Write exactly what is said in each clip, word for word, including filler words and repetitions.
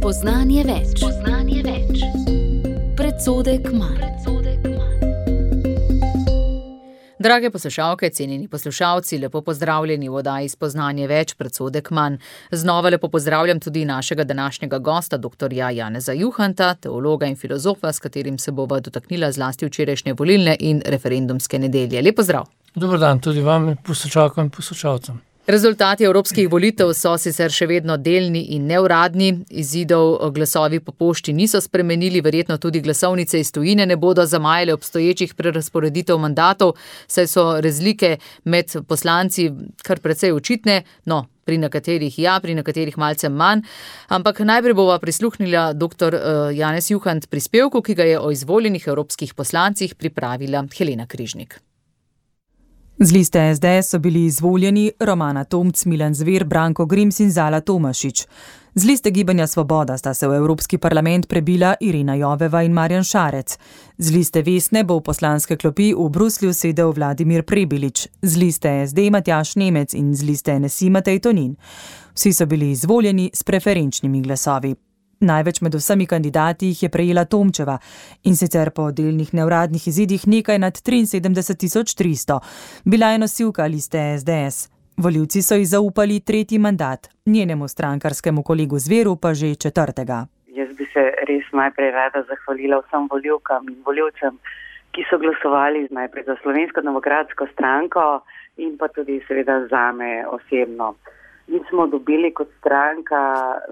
Spoznanje več. Spoznanje več. Predsodek manj. Drage poslušalke, cenjeni poslušalci, lepo pozdravljeni v oddaji Spoznanje več, predsodek manj. Znova lepo pozdravljam tudi našega današnjega gosta, doktorja Janeza Juhanta, teologa in filozofa, s katerim se bova dotaknila zlasti včerajšnje volilne in referendumske nedelje. Lep pozdrav. Dober dan tudi vam, poslušalkam in poslušalcem. Rezultati evropskih volitev so sicer še vedno delni in neuradni, izidov glasovi po pošti niso spremenili, verjetno tudi glasovnice iz tujine ne bodo zamajale obstoječih prerazporeditev mandatov, saj so razlike med poslanci kar precej očitne, no, pri nekaterih ja, pri nekaterih malce manj, ampak najprej bova prisluhnila doktor Janez Juhant prispevku, ki ga je o izvoljenih evropskih poslancih pripravila Helena Križnik. Z liste es de es so bili izvoljeni Romana Tomc, Milan Zver, Branko Grims in Zala Tomašič. Z liste Gibanja Svoboda sta se v Evropski parlament prebila Irena Joveva in Marjan Šarec. Z liste Vesne bo v poslanske klopi v Bruslju sedel Vladimir Prebilič. Z liste es de Matjaž Nemec in z liste en es i Matej Tonin. Vsi so bili izvoljeni s preferenčnimi glasovi. Največ med vsemi kandidati jih je prejela Tomčeva in sicer po delnih neuradnih izidih nekaj nad triinsedemdeset tisoč tristo. Bila je nosilka liste es de es. Volivci so ji zaupali tretji mandat, njenemu strankarskemu kolegu Zveru pa že četrtega. Jaz bi se res najprej rada zahvalila vsem volivkam in volivcem, ki so glasovali najprej za Slovensko demokratsko stranko in pa tudi seveda zame osebno. Mi smo dobili kot stranka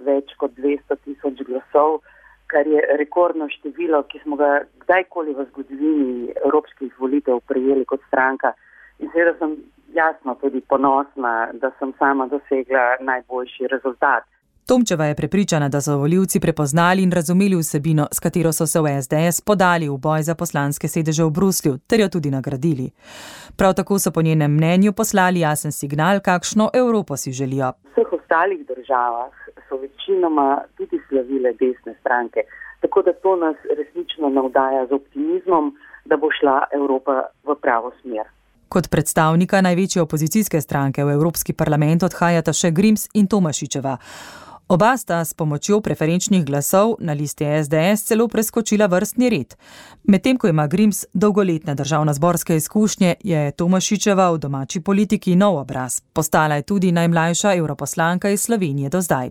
več kot dvesto tisoč glasov, kar je rekordno število, ki smo ga kdajkoli v zgodovini evropskih volitev prejeli kot stranka. In seveda sem jasno tudi ponosna, da sem sama dosegla najboljši rezultat. Tomčeva je prepričana, da so volivci prepoznali in razumeli vsebino, s katero so se v es de es podali v boj za poslanske sedeže v Bruslju, ter jo tudi nagradili. Prav tako so po njenem mnenju poslali jasen signal, kakšno Evropo si želijo. V vseh ostalih državah so večinoma tudi slavile desne stranke, tako da to nas resnično navdaja z optimizmom, da bo šla Evropa v pravo smer. Kot predstavnika največje opozicijske stranke v Evropski parlament odhajata še Grims in Tomašičeva. Oba sta s pomočjo preferenčnih glasov na listi es de es celo preskočila vrstni red. Medtem ko ima Grims dolgoletne državnozborske izkušnje, je Tomašičeva v domači politiki nov obraz. Postala je tudi najmlajša evroposlanka iz Slovenije do zdaj.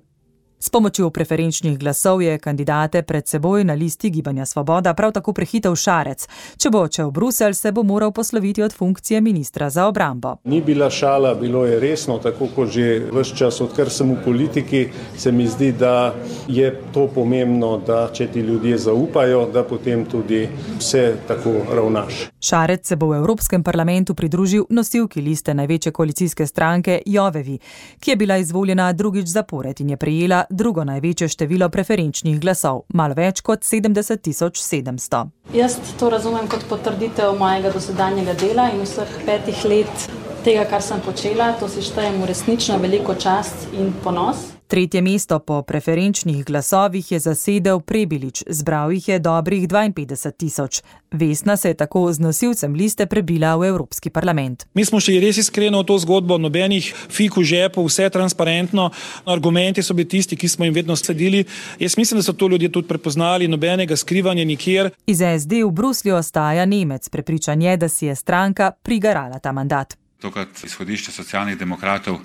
S pomočjo preferenčnih glasov je kandidate pred seboj na listi Gibanja Svoboda prav tako prehitel Šarec. Če bo odšel v Bruselj, se bo moral posloviti od funkcije ministra za obrambo. Ni bila šala, bilo je resno, tako kot že ves čas, odkar sem v politiki, se mi zdi, da je to pomembno, da če ti ljudje zaupajo, da potem tudi vse tako ravnaš. Šarec se bo v Evropskem parlamentu pridružil nosilki liste največje koalicijske stranke Jovevi, ki je bila izvoljena drugič zapored in je prejela drugo največje število preferenčnih glasov, malo več kot sedemdeset tisoč sedemsto. Jaz to razumem kot potrditev mojega dosedanjega dela in vseh petih let tega, kar sem počela. To si štejem v resnično veliko čast in ponos. Tretje mesto po preferenčnih glasovih je zasedel Prebilič, zbral jih je dobrih dvainpetdeset tisoč. Vesna se je tako z nosilcem liste prebila v Evropski parlament. Mi smo šli res iskreno v to zgodbo, nobenih fik v žepu, vse transparentno. Argumenti so bili tisti, ki smo jim vedno sledili. Jaz mislim, da so to ljudje tudi prepoznali, nobenega skrivanja nikjer. Iz es de v Bruslju ostaja Nemec, prepričan je, da si je stranka prigarala ta mandat. Tokrat izhodišče socialnih demokratov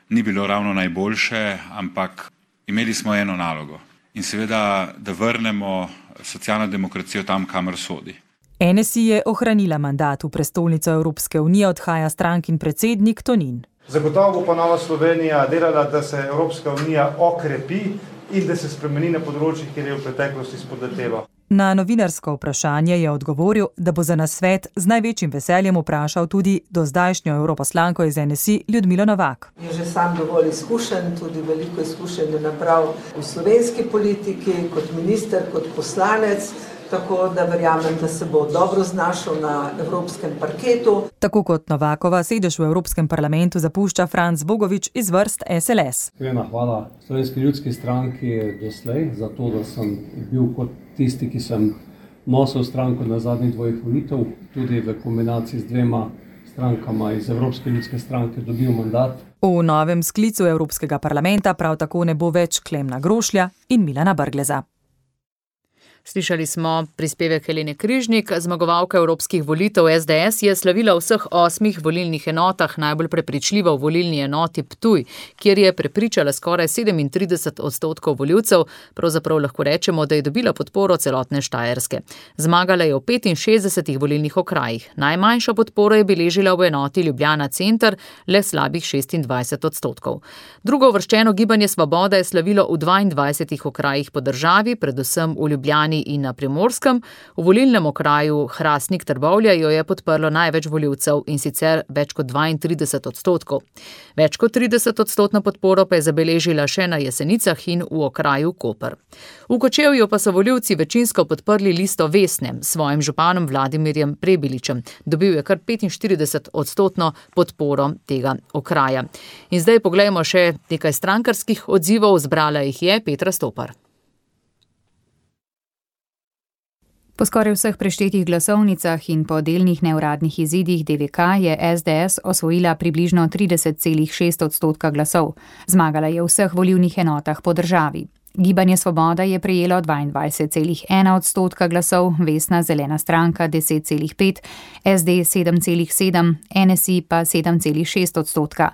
ni bilo ravno najboljše, ampak imeli smo eno nalogo. In seveda, da vrnemo socialno demokracijo tam, kamor sodi. en es i je ohranila mandat, v prestolnico Evropske unije odhaja strankin predsednik Tonin. Zagotovo bo pa Nova Slovenija delala, da se Evropska unija okrepi in da se spremeni na področjih, kjer je v preteklosti spodletelo. Na novinarsko vprašanje je odgovoril, da bo za nasvet z največjim veseljem vprašal tudi dozdajšnjo evroposlanko iz en es i Ljudmilo Novak. Je že sam dovolj izkušen, tudi veliko izkušenj je nabral v slovenski politiki, kot minister, kot poslanec, tako da verjamem, da se bo dobro znašel na evropskem parketu. Tako kot Novakova sedež v Evropskem parlamentu zapušča Franc Bogovič iz vrst es el es. Iskrena hvala Slovenski ljudski stranki doslej za to, da sem bil kot tisti, ki sem nosil stranko na zadnjih dvojih volitev, tudi v kombinaciji z dvema strankama iz Evropske ljudske stranke dobil mandat. V novem sklicu Evropskega parlamenta prav tako ne bo več Klemna Grošlja in Milana Brgleza. Slišali smo prispevek Helene Križnik, zmagovalka evropskih volitev S D S je slavila v vseh osmih volilnih enotah, najbolj prepričljiva v volilni enoti Ptuj, kjer je prepričala skoraj sedemintrideset odstotkov volivcev, pravzaprav lahko rečemo, da je dobila podporo celotne Štajerske. Zmagala je v petinšestdesetih volilnih okrajih. Najmanjšo podporo je beležila v enoti Ljubljana center, le slabih šestindvajset odstotkov. Drugo uvrščeno Gibanje Svoboda je slavilo v dvaindvajsetih okrajih po državi, predvsem v Ljubljani in na Primorskem. V volilnem okraju Hrastnik Trbovlje jo je podprlo največ volivcev in sicer več kot dvaintrideset odstotkov. Več kot trideset odstotno podporo pa je zabeležila še na Jesenicah in v okraju Koper. V Kočevju pa so volivci večinsko podprli listo Vesne s svojim županom Vladimirjem Prebiličem. Dobil je kar petinštirideset odstotno podporo tega okraja. In zdaj poglejmo še nekaj strankarskih odzivov, zbrala jih je Petra Stopar. Po skoraj vseh preštetih glasovnicah in po delnih neuradnih izidih D V K je S D S osvojila približno trideset celih šest odstotka glasov. Zmagala je v vseh volilnih enotah po državi. Gibanje Svoboda je prejelo dvaindvajset celih ena odstotka glasov, Vesna zelena stranka deset celih pet, S D sedem celih sedem, N S I pa sedem celih šest odstotka.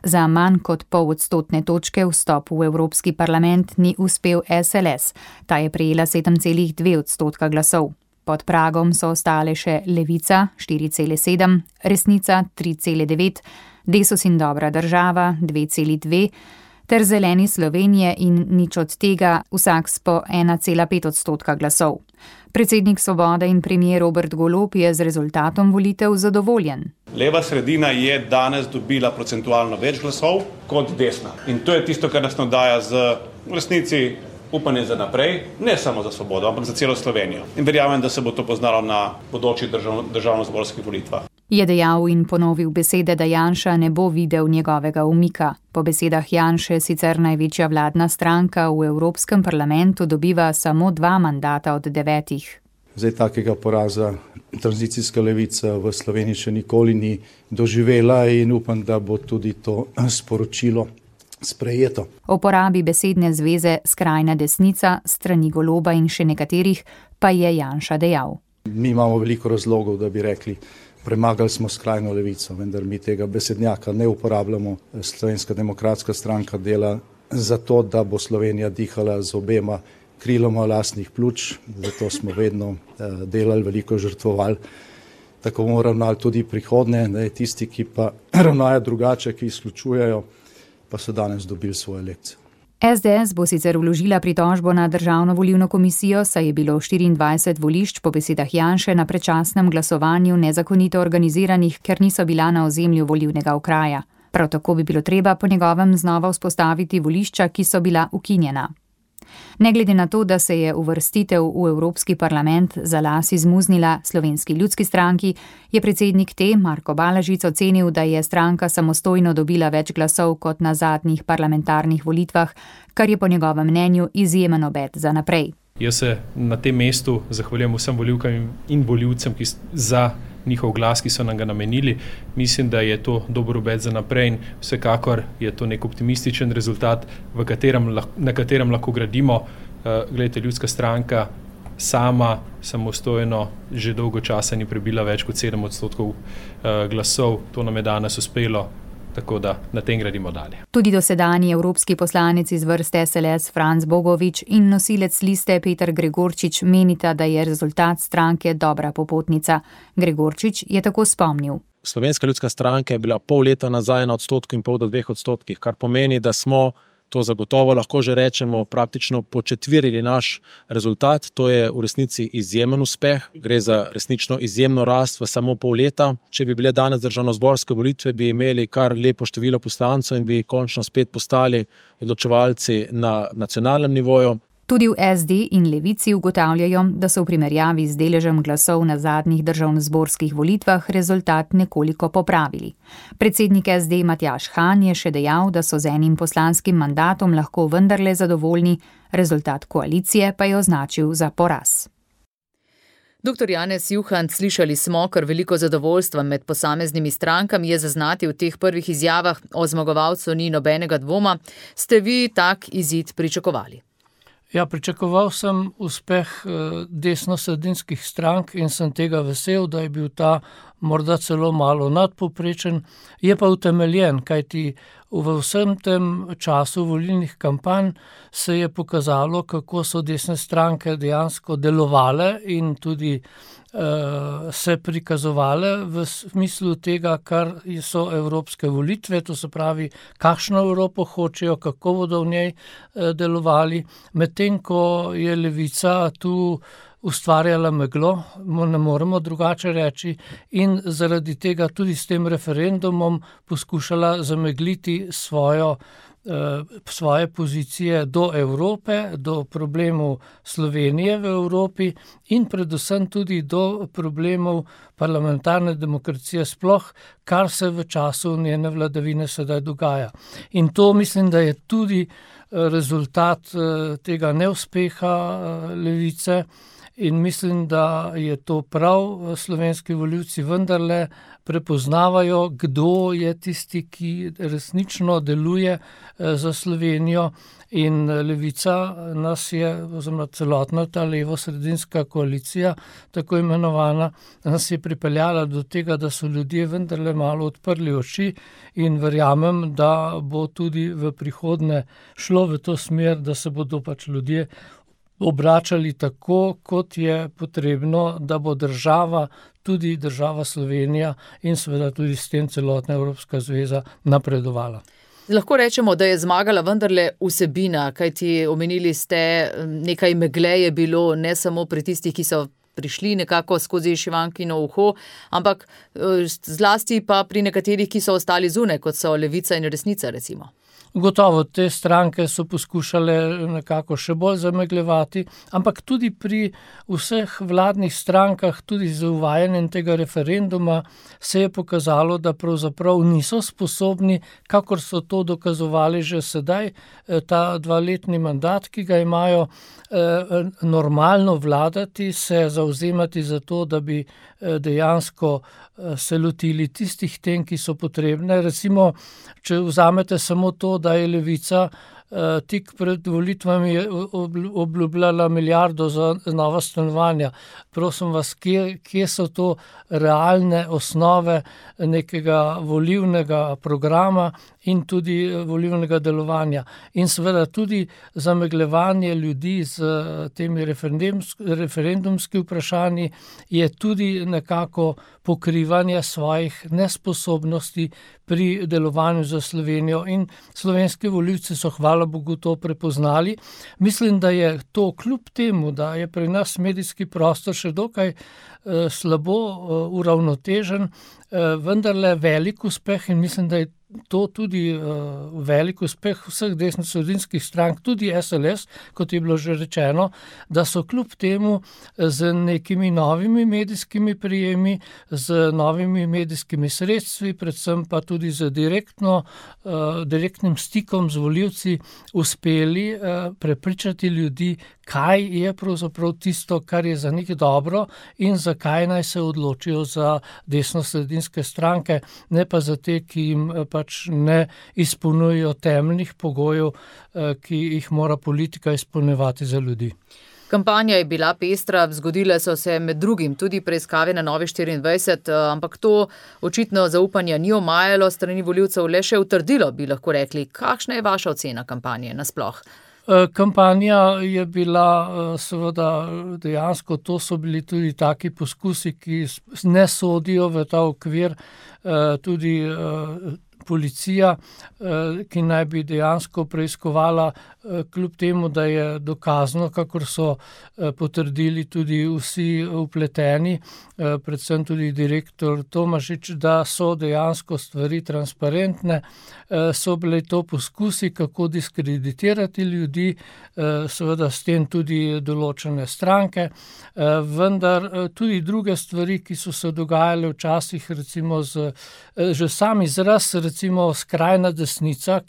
Za manj kot pol odstotne točke vstop v Evropski parlament ni uspel S L S. Ta je prejela sedem celih dve odstotka glasov. Pod pragom so ostale še Levica štiri celih sedem, Resnica tri celih devet, Desus in Dobra država dve celih dve, ter Zeleni Slovenije in nič od tega, vsak s po ena celih pet odstotka glasov. Predsednik Svobode in premier Robert Golob je z rezultatom volitev zadovoljen. Leva sredina je danes dobila procentualno več glasov kot desna. In to je tisto, kar nas navdaja z v resnici upanje za naprej, ne samo za Svobodo, ampak za celo Slovenijo. In verjamem, da se bo to poznalo na bodočih držav, državnozborskih volitvah. Je dejal in ponovil besede, da Janša ne bo videl njegovega umika. Po besedah Janše sicer največja vladna stranka v Evropskem parlamentu dobiva samo dva mandata od devetih. Zdaj takega poraza tranzicijska levica v Sloveniji še nikoli ni doživela in upam, da bo tudi to sporočilo sprejeto. O porabi besedne zveze skrajna desnica, strani Goloba in še nekaterih pa je Janša dejal. Mi imamo veliko razlogov, da bi rekli, premagali smo skrajno levico, vendar mi tega besednjaka ne uporabljamo. Slovenska demokratska stranka dela zato, da bo Slovenija dihala z obema kriloma lastnih pljuč, zato smo vedno delali, veliko žrtvovali. Tako bomo ravnali tudi prihodnje, ne, tisti, ki pa ravnajo drugače, ki izključujejo, pa so danes dobili svoje lekcije. S D S bo sicer vložila pritožbo na Državno volilno komisijo, saj je bilo štiriindvajset volišč po besedah Janše na predčasnem glasovanju nezakonito organiziranih, ker niso bila na ozemlju volilnega okraja. Prav tako bi bilo treba po njegovem znova vzpostaviti volišča, ki so bila ukinjena. Ne glede na to, da se je uvrstitev v Evropski parlament za las izmuznila Slovenski ljudski stranki, je predsednik te, Marko Balažic, ocenil, da je stranka samostojno dobila več glasov kot na zadnjih parlamentarnih volitvah, kar je po njegovem mnenju izjemen obet za naprej. Jaz se na tem mestu zahvaljujem vsem volivkam in volivcem, ki za njihov glas, ki so nam ga namenili. Mislim, da je to dober obet za naprej in vsekakor je to nek optimističen rezultat, v katerem, na katerem lahko gradimo. Glejte, ljudska stranka sama samostojno že dolgo časa ni prebila več kot sedem odstotkov glasov. To nam je danes uspelo. Tako da na tem gradimo dalje. Tudi dosedanji evropski poslanec iz vrst S L S Franc Bogovič in nosilec liste Peter Gregorčič menita, da je rezultat stranke dobra popotnica. Gregorčič je tako spomnil. Slovenska ljudska stranka je bila pol leta nazaj na odstotku in pol do dveh odstotkih, kar pomeni, da smo, to zagotovo lahko že rečemo, praktično početvirili naš rezultat. To je v resnici izjemen uspeh. Gre za resnično izjemno rast v samo pol leta. Če bi bile danes državnozborske volitve, bi imeli kar lepo število poslancev in bi končno spet postali odločevalci na nacionalnem nivoju. Tudi v S D in Levici ugotavljajo, da so v primerjavi z deležem glasov na zadnjih državnozborskih volitvah rezultat nekoliko popravili. Predsednik S D Matjaž Han je še dejal, da so z enim poslanskim mandatom lahko vendarle zadovoljni, rezultat koalicije pa je označil za poraz. Doktor Janez Juhant, slišali smo, kar veliko zadovoljstva med posameznimi strankami je zaznati v teh prvih izjavah, o zmagovalcu ni nobenega dvoma. Ste vi tak izid pričakovali? Ja, pričakoval sem uspeh desnosredinskih strank in sem tega vesel, da je bil ta morda celo malo nadpovprečen, je pa utemeljen, kajti v vsem tem času volilnih kampanj se je pokazalo, kako so desne stranke dejansko delovale in tudi uh, se prikazovale v smislu tega, kar so evropske volitve, to se pravi, kakšno Evropo hočejo, kako bodo v njej uh, delovali, medtem ko je levica tu ustvarjala meglo, ne moremo drugače reči, in zaradi tega tudi s tem referendumom poskušala zamegliti svojo, eh, svoje pozicije do Evrope, do problemov Slovenije v Evropi in predvsem tudi do problemov parlamentarne demokracije sploh, kar se v času njene vladavine sedaj dogaja. In to mislim, da je tudi rezultat eh, tega neuspeha eh, levice. In mislim, da je to prav, slovenski volivci vendarle prepoznavajo, kdo je tisti, ki resnično deluje za Slovenijo, in levica nas je, oziroma celotna ta levo-sredinska koalicija, tako imenovana, nas je pripeljala do tega, da so ljudje vendarle malo odprli oči in verjamem, da bo tudi v prihodnje šlo v to smer, da se bodo pač ljudje obračali tako, kot je potrebno, da bo država, tudi država Slovenija in seveda tudi s tem celotna Evropska zveza napredovala. Lahko rečemo, da je zmagala vendarle vsebina, kajti omenili ste, nekaj megle je bilo ne samo pri tistih, ki so prišli nekako skozi šivankino uho, ampak zlasti pa pri nekaterih, ki so ostali zunaj, kot so Levica in Resnica recimo. Gotovo, te stranke so poskušale nekako še bolj zamegljevati, ampak tudi pri vseh vladnih strankah, tudi z uvajanjem tega referenduma, se je pokazalo, da pravzaprav niso sposobni, kakor so to dokazovali že sedaj, ta dvaletni mandat, ki ga imajo, normalno vladati, se zavzemati za to, da bi dejansko se lotili tistih tem, ki so potrebne. Recimo, če vzamete samo to, da je levica tik pred volitvami obljubljala milijardo za nova stanovanja. Prosim vas, kje, kje so to realne osnove nekega volilnega programa in tudi volilnega delovanja. In seveda tudi zamegljevanje ljudi z temi referendumski vprašanji je tudi nekako pokrivanje svojih nesposobnosti pri delovanju za Slovenijo in slovenski volivci so, hvala Bogu, to prepoznali. Mislim, da je to kljub temu, da je pri nas medijski prostor še dokaj eh, slabo eh, uravnotežen, eh, vendarle velik uspeh in mislim, da je to tudi uh, velik uspeh vseh desnosredinskih strank, tudi S L S, kot je bilo že rečeno, da so kljub temu z nekimi novimi medijskimi prijemi, z novimi medijskimi sredstvi, predvsem pa tudi z direktno, uh, direktnim stikom z volivci uspeli uh, prepričati ljudi, kaj je pravzaprav tisto, kar je za njih dobro in zakaj naj se odločijo za desnosredinske stranke, ne pa za te, ki jim pač ne izpolnjujejo temeljnih pogojev, ki jih mora politika izpolnjevati za ljudi. Kampanja je bila pestra, zgodile so se med drugim tudi preiskave na Novi štiriindvajset, ampak to očitno zaupanja ni omajalo, strani volivcev le še utrdilo, bi lahko rekli. Kakšna je vaša ocena kampanje nasploh? Kampanja je bila seveda dejansko, to so bili tudi taki poskusi, ki ne sodijo v ta okvir, tudi policija, ki naj bi dejansko preiskovala, kljub temu, da je dokazno, kakor so potrdili tudi vsi vpleteni, predvsem tudi direktor Tomašič, da so dejansko stvari transparentne, so bile to poskusi, kako diskreditirati ljudi, seveda s tem tudi določene stranke, vendar tudi druge stvari, ki so se dogajale včasih, recimo z, že sam izraz, recimo recimo skrajna desnica,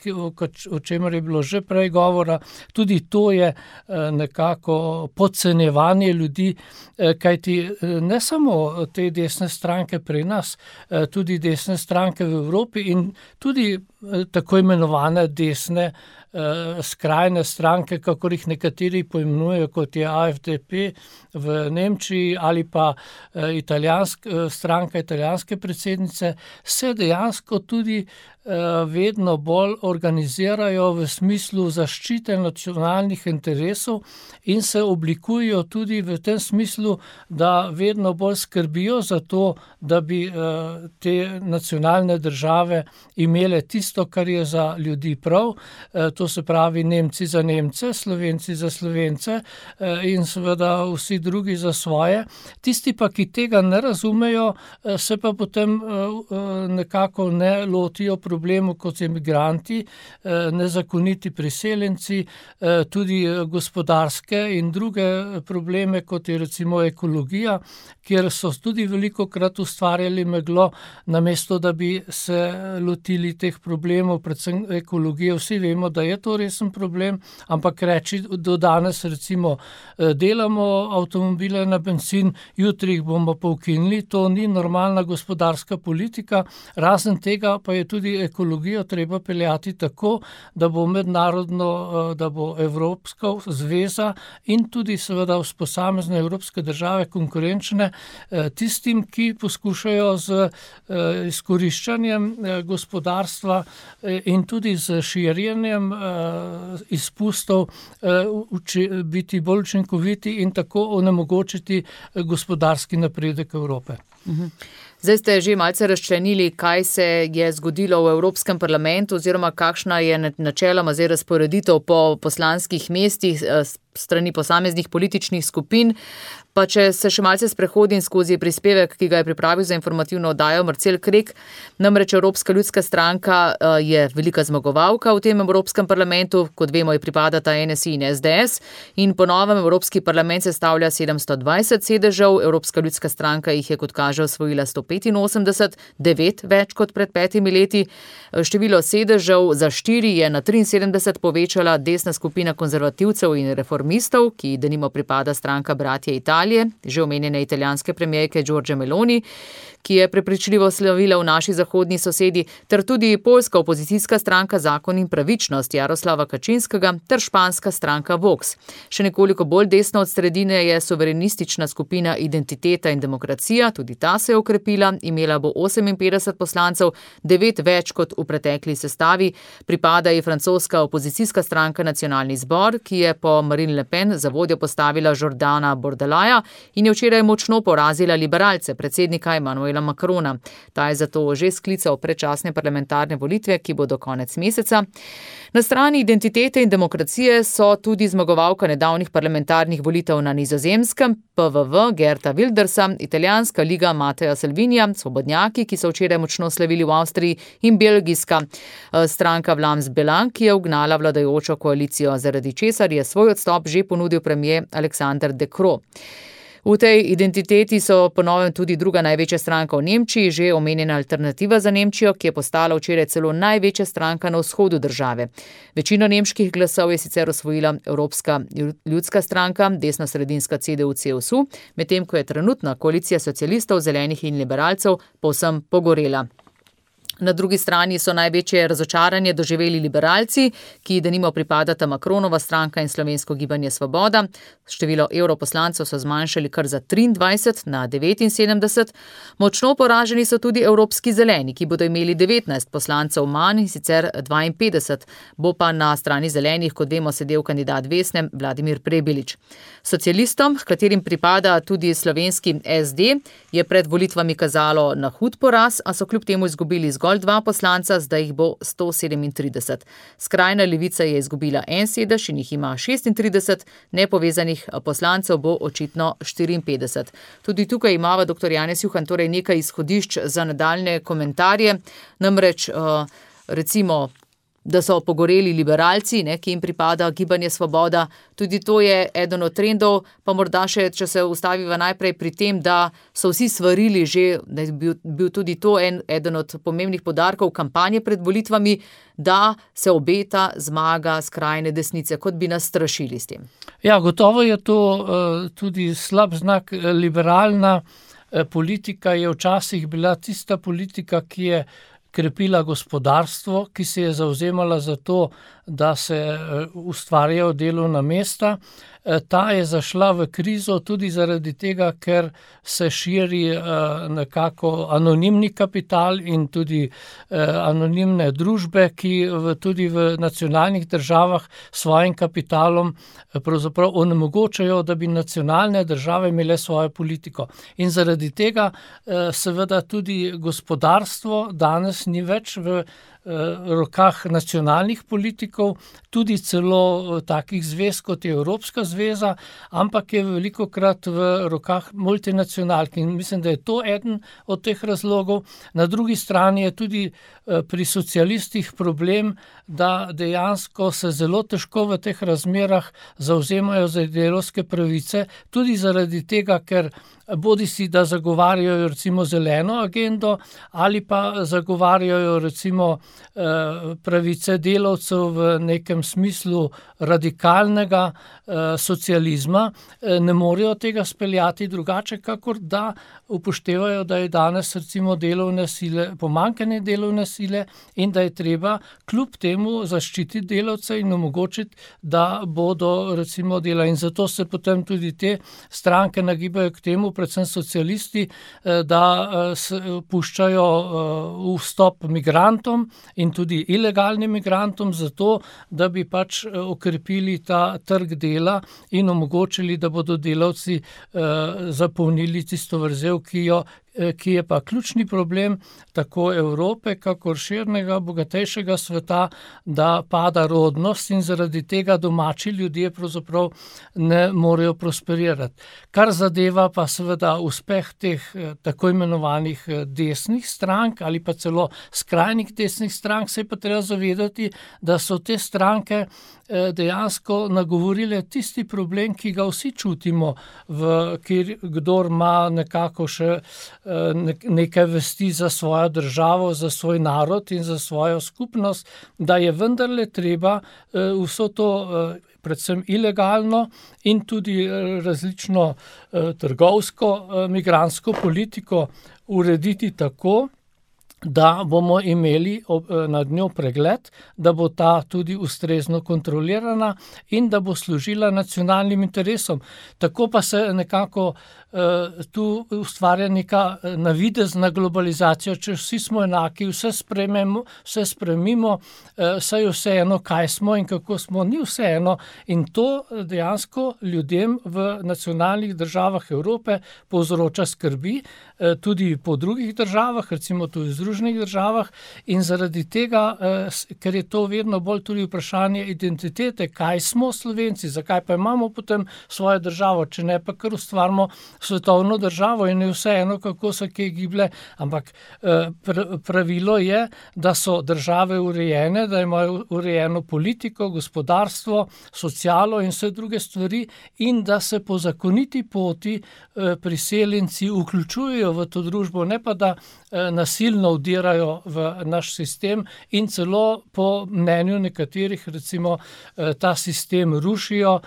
o čemer je bilo že prej govora, tudi to je nekako podcenjevanje ljudi, kajti ne samo te desne stranke pri nas, tudi desne stranke v Evropi in tudi tako imenovane desne skrajne stranke, kakor jih nekateri poimenujejo, kot je A F D P v Nemčiji ali pa italijansk, stranka italijanske predsednice, se dejansko tudi vedno bolj organizirajo v smislu zaščite nacionalnih interesov in se oblikujejo tudi v tem smislu, da vedno bolj skrbijo za to, da bi te nacionalne države imele tisto, kar je za ljudi prav, to se pravi Nemci za Nemce, Slovenci za Slovence in seveda vsi drugi za svoje. Tisti pa, ki tega ne razumejo, se pa potem nekako ne lotijo problemu, kot so migranti, nezakoniti priseljenci, tudi gospodarske in druge probleme, kot je recimo ekologija, kjer so tudi velikokrat ustvarjali meglo, namesto da bi se lotili teh problemov, predvsem ekologije. Vsi vemo, da je to resen problem, ampak reči do danes recimo delamo avtomobile na bencin, jutri jih bomo pa ukinili, to ni normalna gospodarska politika, razen tega pa je tudi ekologijo treba peljati tako, da bo mednarodno, da bo Evropska zveza in tudi seveda posamezne evropske države konkurenčne tistim, ki poskušajo z izkoriščanjem gospodarstva in tudi z širjenjem izpustov biti bolj učinkoviti in tako onemogočiti gospodarski napredek Evrope. Zdaj ste že malce razčlenili, kaj se je zgodilo v Evropskem parlamentu oziroma kakšna je načeloma zdaj razporeditev po poslanskih mestih strani posameznih političnih skupin. Pa če se še malce sprehodim skozi prispevek, ki ga je pripravil za informativno oddajo Marcel Krek, namreč Evropska ljudska stranka je velika zmagovalka v tem Evropskem parlamentu, kot vemo, je pripadata N S I in S D S in po novem Evropski parlament sestavlja sedemsto dvajset sedežev, Evropska ljudska stranka jih je, kot kaže, osvojila sto petinosemdeset, devet več kot pred petimi leti. Število sedežev za štiri je na triinsedemdeset povečala desna skupina konzervativcev in reformistov, ki denimo pripada stranka Bratje Italije, že omenjene italijanske premijerke Giorgie Meloni, ki je prepričljivo slavila v naši zahodni sosedi, ter tudi poljska opozicijska stranka Zakon in pravičnost Jaroslava Kačinskega ter španska stranka Vox. Še nekoliko bolj desno od sredine je suverenistična skupina Identiteta in demokracija, tudi ta se je okrepila, imela bo oseminpetdeset poslancev, devet več kot v pretekli sestavi. Pripada je francoska opozicijska stranka Nacionalni zbor, ki je po Marine Le Pen za vodjo postavila Jordana Bordelaja in je včeraj močno porazila liberalce, predsednika Emmanuela Macrona. Ta je zato že sklical predčasne parlamentarne volitve, ki bodo konec meseca. Na strani Identitete in demokracije so tudi zmagovalka nedavnih parlamentarnih volitev na Nizozemskem, P V V Geerta Wildersa, italijanska liga Mattea Salvinija, svobodnjaki, ki so včeraj močno slavili v Avstriji, in belgijska stranka Vlaams Belang, ki je ugnala vladajočo koalicijo, zaradi česar je svoj odstop že ponudil premier Alexander De Croo. V tej identiteti so ponovem tudi druga največja stranka v Nemčiji, že omenjena Alternativa za Nemčijo, ki je postala včeraj celo največja stranka na vzhodu države. Večino nemških glasov je sicer osvojila Evropska ljudska stranka, desno-sredinska C D U C S U, medtem ko je trenutna koalicija socialistov, zelenih in liberalcev povsem pogorela. Na drugi strani so največje razočaranje doživeli liberalci, ki denimo pripadata Macronova stranka in Slovensko gibanje Svoboda. Število evroposlancev so zmanjšali kar za triindvajset na devetinsedemdeset. Močno poraženi so tudi evropski zeleni, ki bodo imeli devetnajst poslancev manj, sicer dvainpetdeset. Bo pa na strani zelenih, kot vemo, sedel kandidat Vesne Vladimir Prebilič. Socialistom, katerim pripada tudi slovenski S D, je pred volitvami kazalo na hud poraz, a so kljub temu izgubili zgolj dva poslanca, zdaj jih bo sto sedemintrideset. Skrajna levica je izgubila en sedež in jih ima šestintrideset, nepovezanih poslancev bo očitno štiriinpetdeset. Tudi tukaj imava dr. Janez Juhan torej nekaj izhodišč za nadaljne komentarje, namreč recimo da so pogoreli liberalci, ne, ki jim pripada Gibanje Svoboda. Tudi to je eden od trendov, pa morda še, če se ustaviva najprej pri tem, da so vsi svarili že, da je bil, bil tudi to en, eden od pomembnih poudarkov kampanje pred volitvami, da se obeta zmaga skrajne desnice, kot bi nas strašili s tem. Ja, gotovo je to uh, tudi slab znak. Liberalna uh, politika je včasih bila tista politika, ki je krepila gospodarstvo, ki se je zavzemala za to, da se ustvarjajo delovna mesta. Ta je zašla v krizo tudi zaradi tega, ker se širi nekako anonimni kapital in tudi anonimne družbe, ki v, tudi v nacionalnih državah svojim kapitalom pravzaprav onemogočajo, da bi nacionalne države imele svojo politiko. In zaradi tega seveda tudi gospodarstvo danes ni več v rokah nacionalnih politikov, tudi celo takih zvez, kot je Evropska zveza, ampak je velikokrat v rokah multinacionalk. In mislim, da je to eden od teh razlogov. Na drugi strani je tudi pri socialistih problem, da dejansko se zelo težko v teh razmerah zavzemajo za delavske pravice, tudi zaradi tega, ker bodi si, da zagovarjajo recimo zeleno agendo ali pa zagovarjajo recimo pravice delavcev v nekem smislu radikalnega socializma, ne morejo tega speljati drugače, kakor da upoštevajo, da je danes recimo delovne sile, pomanjkanje delovne sile in da je treba kljub temu zaščititi delavce in omogočiti, da bodo recimo dela. In zato se potem tudi te stranke nagibajo k temu, predvsem socialisti, da puščajo vstop migrantom in tudi ilegalnim migrantom zato, da bi pač okrepili ta trg dela in omogočili, da bodo delavci zapolnili tisto vrzel, ki jo ki je pa ključni problem tako Evrope, kakor širnega, bogatejšega sveta, da pada rodnost in zaradi tega domači ljudje pravzaprav ne morejo prosperirati. Kar zadeva pa seveda uspeh teh tako imenovanih desnih strank ali pa celo skrajnih desnih strank, se je pa treba zavedati, da so te stranke dejansko nagovorile tisti problem, ki ga vsi čutimo, v, kjer kdor ima nekako še nekaj vesti za svojo državo, za svoj narod in za svojo skupnost, da je vendarle treba vso to predvsem ilegalno in tudi različno trgovsko migrantsko politiko urediti tako, da bomo imeli nad njo pregled, da bo ta tudi ustrezno kontrolirana in da bo služila nacionalnim interesom. Tako pa se nekako tu ustvarja neka navidezna globalizacija, če vsi smo enaki, vse sprememo, vse spremimo, saj je vseeno, kaj smo in kako smo, ni vseeno. In to dejansko ljudem v nacionalnih državah Evrope povzroča skrbi, tudi po drugih državah, recimo tudi v Združenih državah, in zaradi tega, ker je to vedno bolj tudi vprašanje identitete, kaj smo Slovenci, zakaj pa imamo potem svojo državo, če ne pa kar ustvarimo svetovno državo in je vseeno, kako se kje giblje, ampak pravilo je, da so države urejene, da imajo urejeno politiko, gospodarstvo, socialo in vse druge stvari in da se po zakoniti poti priseljenci vključujejo v to družbo, ne pa da nasilno vdirajo v naš sistem in celo po mnenju nekaterih recimo ta sistem rušijo,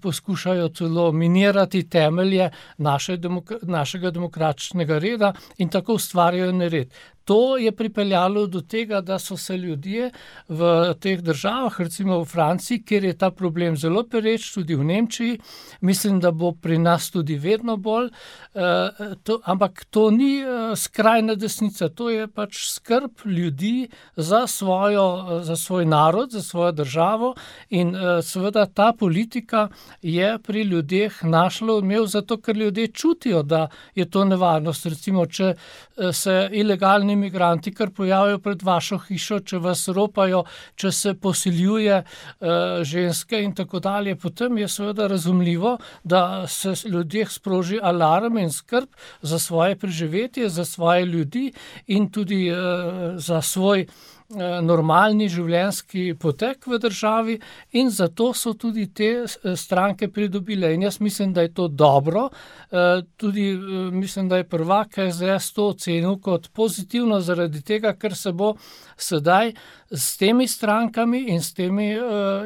poskušajo celo minirati temelje naše demok- našega demokratičnega reda in tako ustvarjajo nered. To je pripeljalo do tega, da so se ljudje v teh državah, recimo v Franciji, kjer je ta problem zelo pereč, tudi v Nemčiji, mislim, da bo pri nas tudi vedno bolj, eh, to, ampak to ni eh, skrajna desnica, to je pač skrb ljudi za, svojo, za svoj narod, za svojo državo in eh, seveda ta politika je pri ljudeh našla odmev zato, ker ljudje čutijo, da je to nevarnost. Recimo, če eh, se ilegalni migranti kar pojavijo pred vašo hišo, če vas ropajo, če se posiljuje uh, ženske in tako dalje, potem je seveda razumljivo, da se ljudje sproži alarm in skrb za svoje preživetje, za svoje ljudi in tudi uh, za svoj normalni življenjski potek v državi in zato so tudi te stranke pridobile. In jaz mislim, da je to dobro. Tudi mislim, da je prvak S D S to ocenil kot pozitivno zaradi tega, ker se bo sedaj s temi strankami in s temi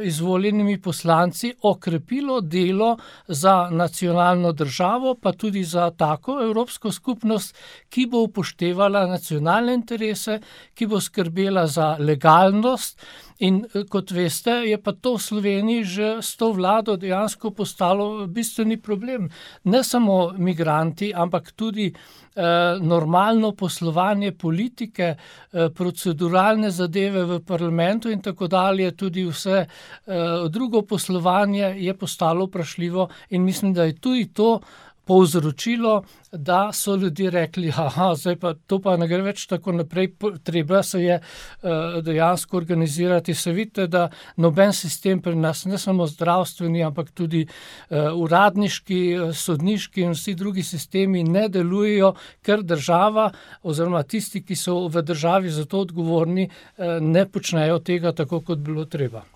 izvoljenimi poslanci okrepilo delo za nacionalno državo, pa tudi za tako evropsko skupnost, ki bo upoštevala nacionalne interese, ki bo skrbela za legalnost. In kot veste, je pa to v Sloveniji že s to vlado dejansko postalo bistveni problem. Ne samo migranti, ampak tudi eh, normalno poslovanje politike, eh, proceduralne zadeve v parlamentu in tako dalje, tudi vse eh, drugo poslovanje je postalo vprašljivo in mislim, da je tudi to povzročilo, da so ljudje rekli, aha, zdaj pa to pa ne gre več tako naprej, treba se je uh, dejansko organizirati. Se vidite, da noben sistem pri nas, ne samo zdravstveni, ampak tudi uh, uradniški, sodniški in vsi drugi sistemi ne delujejo, ker država oziroma tisti, ki so v državi za to odgovorni, uh, ne počnejo tega tako, kot bilo treba.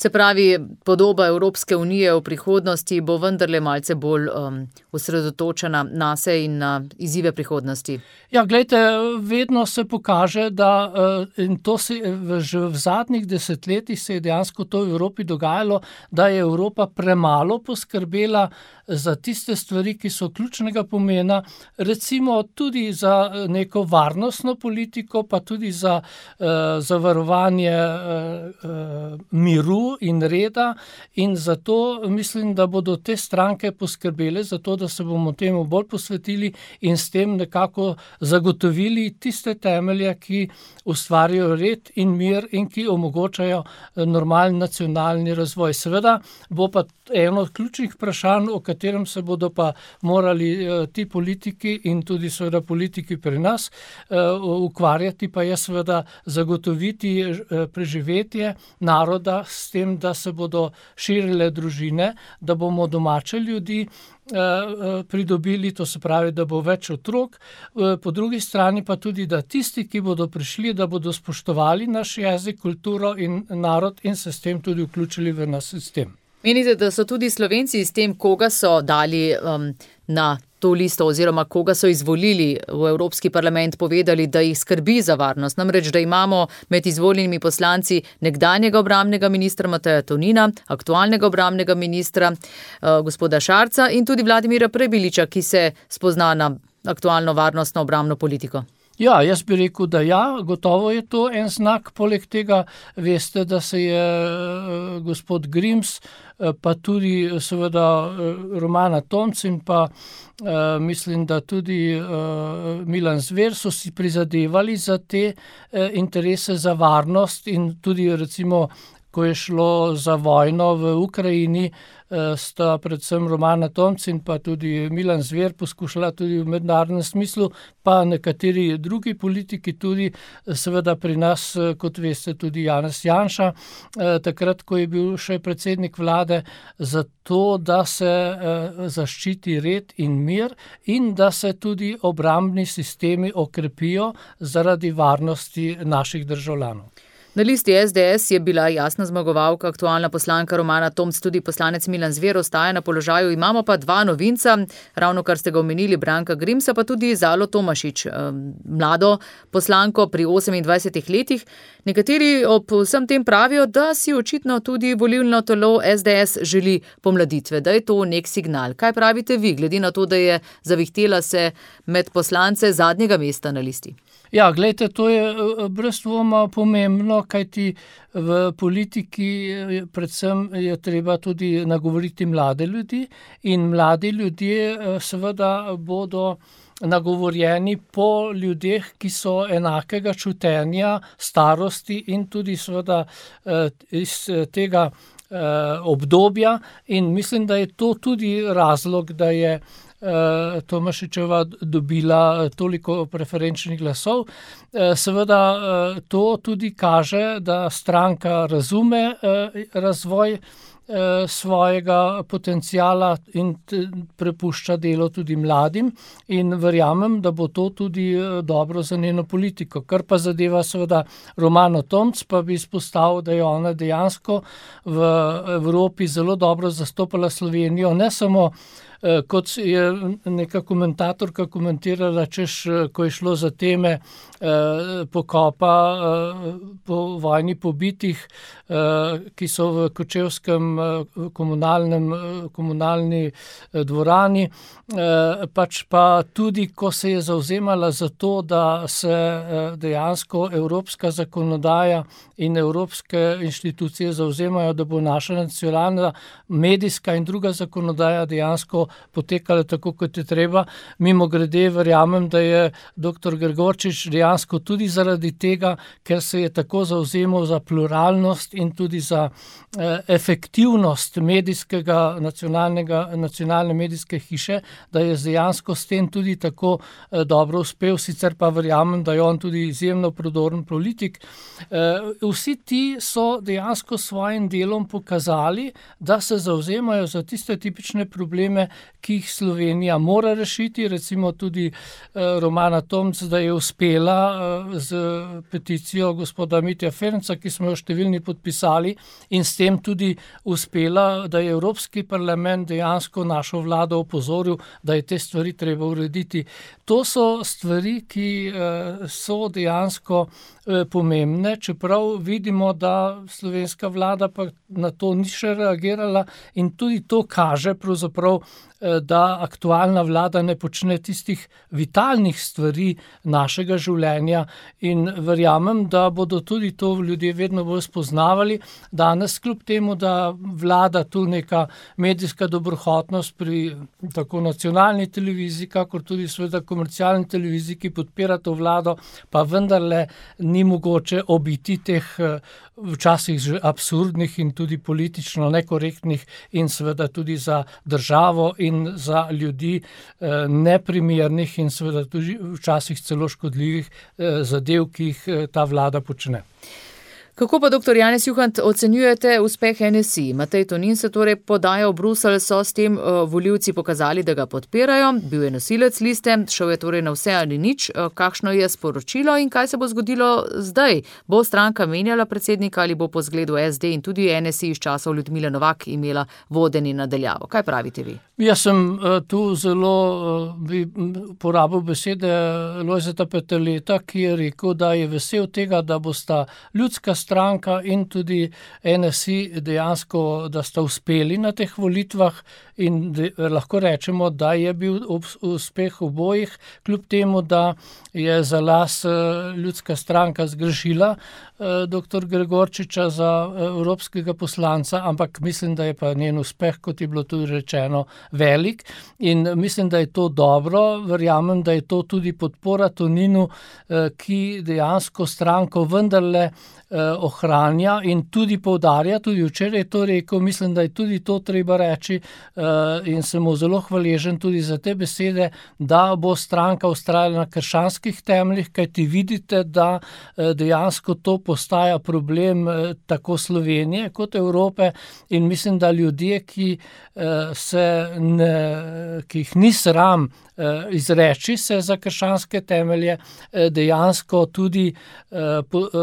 Se pravi, podoba Evropske unije v prihodnosti bo vendarle malce bolj um, osredotočena na se in na izzive prihodnosti. Ja, glejte, vedno se pokaže, da in to se že v zadnjih desetletjih se je dejansko to v Evropi dogajalo, da je Evropa premalo poskrbela za tiste stvari, ki so ključnega pomena, recimo tudi za neko varnostno politiko, pa tudi za uh, zavarovanje uh, uh, miru in reda in zato mislim, da bodo te stranke poskrbele za to, da se bomo temu bolj posvetili in s tem nekako zagotovili tiste temelje, ki ustvarjajo red in mir in ki omogočajo normalen nacionalni razvoj. Seveda bo pa eno od ključnih vprašanj, o katerem se bodo pa morali uh, ti politiki in tudi seveda politiki pri nas uh, ukvarjati, pa je seveda zagotoviti uh, preživetje naroda s tem, da se bodo širile družine, da bomo domače ljudi pridobili, to se pravi, da bo več otrok, po drugi strani pa tudi, da tisti, ki bodo prišli, da bodo spoštovali naš jezik, kulturo in narod in se s tem tudi vključili v naš sistem. Menite, da so tudi Slovenci s tem, koga so dali um, na to listo oziroma koga so izvolili v Evropski parlament, povedali, da jih skrbi za varnost. Namreč, da imamo med izvoljenimi poslanci nekdanjega obrambnega ministra Mateja Tonina, aktualnega obrambnega ministra uh, gospoda Šarca in tudi Vladimira Prebiliča, ki se spozna na aktualno varnostno obrambno politiko. Ja, jaz bi rekel, da ja, gotovo je to en znak. Poleg tega veste, da se je uh, gospod Grims, uh, pa tudi seveda uh, Romana Tomc in pa uh, mislim, da tudi uh, Milan Zver so si prizadevali za te uh, interese za varnost in tudi recimo, ko je šlo za vojno v Ukrajini, sta predvsem Romana Tomc in pa tudi Milan Zver poskušala tudi v mednarodnem smislu, pa nekateri drugi politiki tudi, seveda pri nas, kot veste, tudi Janez Janša, takrat, ko je bil še predsednik vlade, zato, da se zaščiti red in mir in da se tudi obrambni sistemi okrepijo zaradi varnosti naših državljanov. Na listi S D S je bila jasna zmagovalka, aktualna poslanka Romana Tomc, tudi poslanec Milan Zver ostaja na položaju. Imamo pa dva novinca, ravno kar ste ga omenili, Branka Grimsa, pa tudi Zalo Tomašič, mlado poslanko pri osemindvajsetih letih. Nekateri ob vsem tem pravijo, da si očitno tudi volilno telo S D S želi pomladitve, da je to nek signal. Kaj pravite vi, glede na to, da je zavihtela se med poslance zadnjega mesta na listi? Ja, gledajte, to je brez dvoma pomembno, kajti v politiki predvsem je treba tudi nagovoriti mlade ljudi in mladi ljudje seveda bodo nagovorjeni po ljudeh, ki so enakega čutenja, starosti in tudi seveda iz tega obdobja in mislim, da je to tudi razlog, da je Tomašičeva dobila toliko preferenčnih glasov. Seveda to tudi kaže, da stranka razume razvoj svojega potencijala in prepušča delo tudi mladim in verjamem, da bo to tudi dobro za njeno politiko. Kar pa zadeva seveda Romano Tomc, pa bi izpostavil, da je ona dejansko v Evropi zelo dobro zastopala Slovenijo, ne samo kot je neka komentatorka komentirala, češ, ko je šlo za teme pokopa po vojni pobitih, ki so v kočevskem komunalnem, komunalni dvorani, pač pa tudi, ko se je zavzemala za to, da se dejansko evropska zakonodaja in evropske inštitucije zavzemajo, da bo naša nacionalna medijska in druga zakonodaja dejansko potekala tako, kot je treba. Mimo grede verjamem, da je doktor Gregorčič dejansko tudi zaradi tega, ker se je tako zavzemal za pluralnost in tudi za eh, efektivnost medijskega, nacionalnega, nacionalne medijske hiše, da je dejansko s tem tudi tako eh, dobro uspel, sicer pa verjamem, da je on tudi izjemno prodoren politik. Eh, vsi ti so dejansko svojim delom pokazali, da se zavzemajo za tiste tipične probleme, ki jih Slovenija mora rešiti, recimo tudi eh, Romana Tomc, da je uspela eh, z peticijo gospoda Mitja Ferenca, ki smo jo številni podpisali in s tem tudi uspela, da je Evropski parlament dejansko našo vlado opozoril, da je te stvari treba urediti. To so stvari, ki eh, so dejansko eh, pomembne, čeprav vidimo, da slovenska vlada pa na to ni še reagirala in tudi to kaže pravzaprav, da aktualna vlada ne počne tistih vitalnih stvari našega življenja in verjamem, da bodo tudi to ljudje vedno bolj spoznavali. Danes kljub temu, da vlada tu neka medijska dobrohotnost pri tako nacionalni televiziji, kakor tudi seveda komercialni televiziji, ki podpira to vlado, pa vendarle ni mogoče obiti teh včasih že absurdnih in tudi politično nekorektnih in seveda tudi za državo in za ljudi eh, neprimernih in seveda tudi včasih celo škodljivih eh, zadev, ki jih eh, ta vlada počne. Kako pa, doktor Janez Juhant, ocenjujete uspeh N S I? Matej Tonin se torej podaja v Bruselj, so s tem uh, volivci pokazali, da ga podpirajo, bil je nosilec liste, šel je torej na vse ali nič. Uh, kakšno je sporočilo in kaj se bo zgodilo zdaj? Bo stranka menjala predsednika ali bo po zgledu S D in tudi N S I iz časov Ljudmile Novak imela vodenje nadaljavo? Kaj pravite vi? Jaz sem uh, tu zelo uh, bi porabil besede Lojzeta Peterleta, ki je rekel, da je vesel tega, da bosta ljudska stranka in tudi N S I dejansko, da sta uspeli na teh volitvah in de, lahko rečemo, da je bil uspeh obojih, kljub temu, da je za las ljudska stranka zgrešila doktor Gregorčiča za evropskega poslanca, ampak mislim, da je pa njen uspeh, kot je bilo tudi rečeno, velik in mislim, da je to dobro. Verjamem, da je to tudi podpora Toninu, ki dejansko stranko vendarle ohranja in tudi poudarja, tudi včeraj je to rekel, mislim, da je tudi to treba reči in sem mu zelo hvaležen tudi za te besede, da bo stranka vztrajala na krščanskih temeljih, kajti vidite, da dejansko to postaja problem tako Slovenije kot Evrope in mislim, da ljudje, ki se ne, ki jih ni sram izreči se za krščanske temelje, dejansko tudi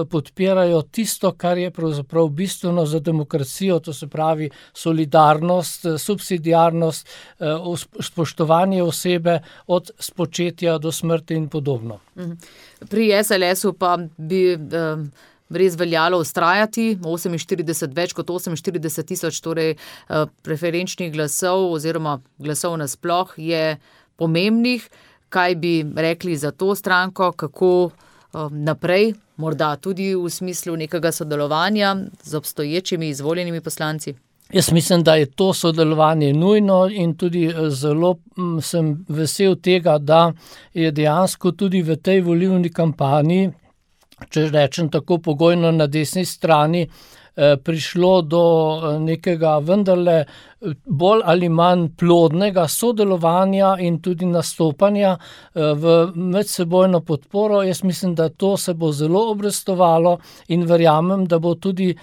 podpirajo tisto, kar je pravzaprav bistveno za demokracijo, to se pravi solidarnost, subsidiarnost, spoštovanje osebe od spočetja do smrti in podobno. Pri S L S-u pa bi res veljalo ustrajati, oseminštirideset, več kot oseminštirideset tisoč torej preferenčnih glasov oziroma glasov nasploh je pomembnih. Kaj bi rekli za to stranko, kako naprej, morda tudi v smislu nekega sodelovanja z obstoječimi izvoljenimi poslanci? Jaz mislim, da je to sodelovanje nujno in tudi zelo sem vesel tega, da je dejansko tudi v tej volilni kampanji, če rečem tako pogojno, na desni strani prišlo do nekega vendarle bolj ali manj plodnega sodelovanja in tudi nastopanja v medsebojno podporo. Jaz mislim, da to se bo zelo obrestovalo in verjamem, da bo tudi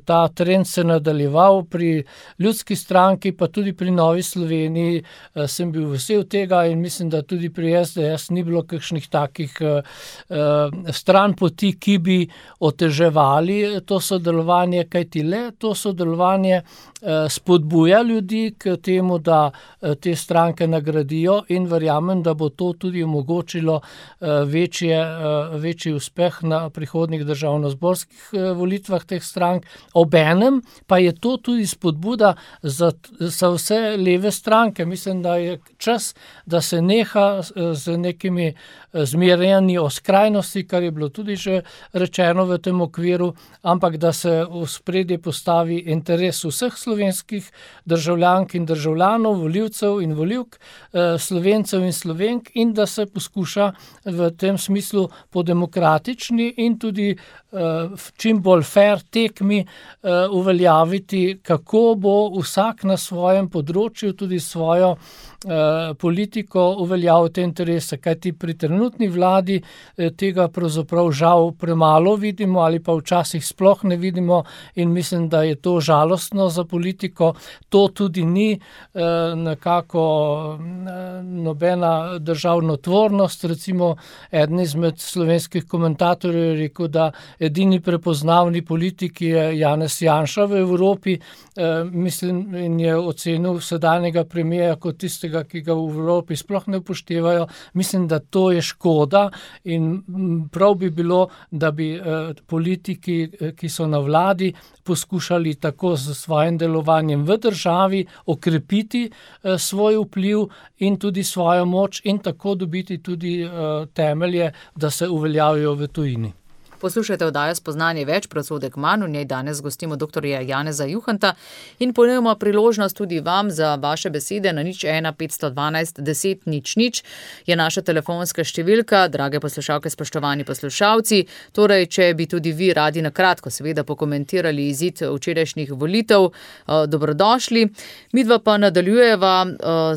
ta trend se nadaljeval pri Ljudski stranki, pa tudi pri Novi Sloveniji. Sem bil vesel tega in mislim, da tudi pri S D S ni bilo kakšnih takih stranpoti, ki bi oteževali to sodelovanje, kajti le to sodelovanje spodbuja ljudi k temu, da te stranke nagradijo in verjamem, da bo to tudi omogočilo večje, večji uspeh na prihodnjih državnozborskih volitvah teh strank. Obenem pa je to tudi spodbuda za, za vse leve stranke. Mislim, da je čas, da se neha z nekimi zmerjanji o skrajnosti, kar je bilo tudi že rečeno v tem okviru, ampak da se v spredje postavi interes vseh slovenskih državljank in državljanov, volivcev in volivk, Slovencev in Slovenk in da se poskuša v tem smislu po demokratični in tudi čim bolj fair tekmi uveljaviti, kako bo vsak na svojem področju tudi svojo politiko uveljavil te interese, kajti pri trenutni vladi tega pravzaprav žal premalo vidimo ali pa včasih sploh ne vidimo in mislim, da je to žalostno za politiko. To tudi ni nekako nobena državnotvornost. Recimo eden izmed slovenskih komentatorjev je rekel, da edini prepoznavni politik je Janez Janša v Evropi, mislim, in je ocenil sedanjega premierja kot tistega, ki ga v Evropi sploh ne upoštevajo. Mislim, da to je škoda in prav bi bilo, da bi politiki, ki so na vladi, poskušali tako z svojim delovanjem v državi okrepiti svoj vpliv in tudi svojo moč in tako dobiti tudi temelje, da se uveljavijo v tujini. Poslušajte oddajo Spoznanje več, Prosodek manj. V njej danes gostimo doktorja Janeza Juhanta in ponujemo priložnost tudi vam za vaše besede na nič ena petsto dvanajst deset nič nič je naša telefonska številka. Drage poslušalke, spoštovani poslušalci, torej, če bi tudi vi radi na kratko seveda pokomentirali izid včerajšnjih volitev, dobrodošli. Midva pa nadaljujeva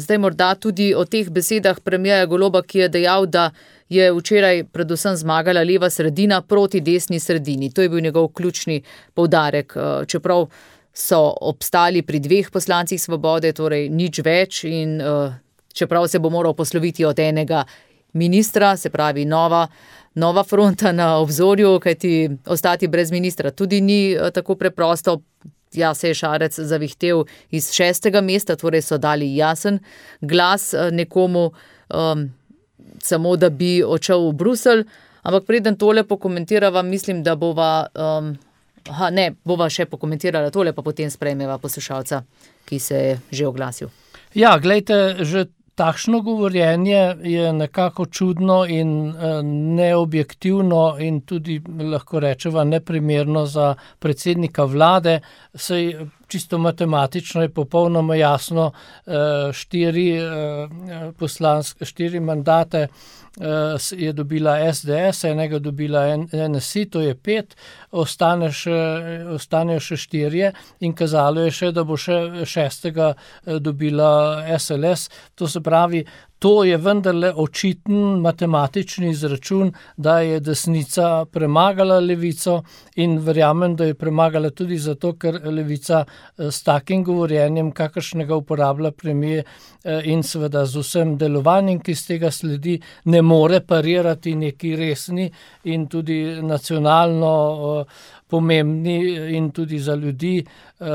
zdaj morda tudi o teh besedah premierja Goloba, ki je dejal, da je včeraj predvsem zmagala leva sredina proti desni sredini. To je bil njegov ključni poudarek, čeprav so obstali pri dveh poslancih Svobode, torej nič več in čeprav se bo moral posloviti od enega ministra, se pravi nova, nova fronta na obzorju, kajti ostati brez ministra tudi ni tako preprosto. Ja, se je Šarec zavihtel iz šestega mesta, torej so dali jasen glas nekomu, um, samo da bi odšel v Bruselj, ampak preden tole pokomentirava, mislim, da bova, um, aha, ne, bova še pokomentirala tole, pa potem sprejmeva poslušalca, ki se je že oglasil. Ja, glejte, že takšno govorjenje je nekako čudno in uh, neobjektivno in tudi lahko rečeva neprimerno za predsednika vlade. Sej čisto matematično je popolnoma jasno, štiri poslanske, štiri mandate je dobila S D S, enega dobila N S I, to je pet, ostane še, ostanejo še štirje in kazalo je še, da bo še šestega dobila S L S. To se pravi, to je vendarle očiten matematični izračun, da je desnica premagala levico in verjamem, da je premagala tudi zato, ker levica s takim govorjenjem, kakršnega uporablja premier in seveda z vsem delovanjem, ki z tega sledi, ne more parirati neki resni in tudi nacionalno pomembni in tudi za ljudi uh,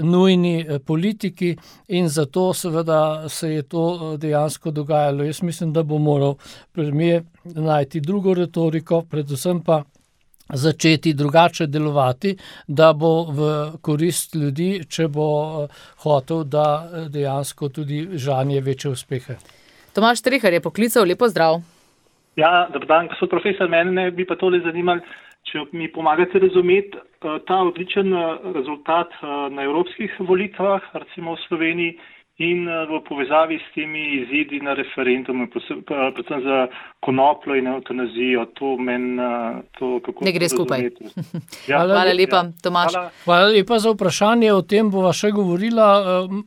nujni politiki in zato seveda se je to dejansko dogajalo. Jaz mislim, da bo moral premier najti drugo retoriko, predvsem pa začeti drugače delovati, da bo v korist ljudi, če bo hotel, da dejansko tudi žanje večje uspehe. Tomaž Strehar je poklical, lepo zdrav. Ja, dober dan, gospod profesor, mene bi pa tole zanimali, če mi pomagate razumeti ta odličen rezultat na evropskih volitvah, recimo v Sloveniji, in v povezavi s temi izidi na referendumu, predvsem za konopljo in evtanazijo, to meni to kako ne gre skupaj. Ja, hvala, hvala lepa, Tomaž. Hvala. hvala lepa za vprašanje, o tem bova še govorila.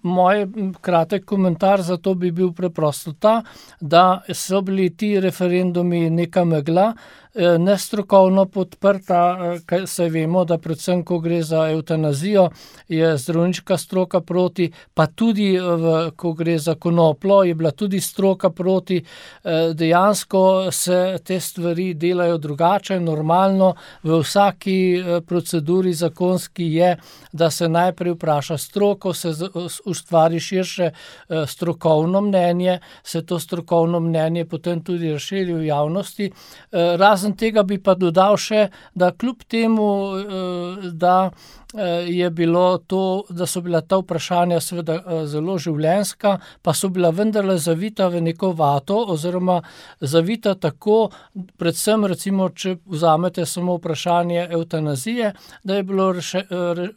Moj kratek komentar za to bi bil preprosto ta, da so bili ti referendumi neka megla, nestrokovno podprta, kaj se vemo, da predvsem, ko gre za evtanazijo, je zdravniška stroka proti, pa tudi, v, ko gre za konopljo, je bila tudi stroka proti. Dejansko se te stvari delajo drugače, normalno. V vsaki proceduri zakonski je, da se najprej vpraša stroko, se ustvari širše strokovno mnenje, se to strokovno mnenje potem tudi razširi v javnosti. Razen tega bi pa dodal še, da kljub temu, da je bilo to, da so bila ta vprašanja seveda zelo življenjska, pa so bila vendarle zavita v neko vato oziroma zavita tako, predvsem recimo, če vzamete samo vprašanje evtanazije, da je bilo reše, re,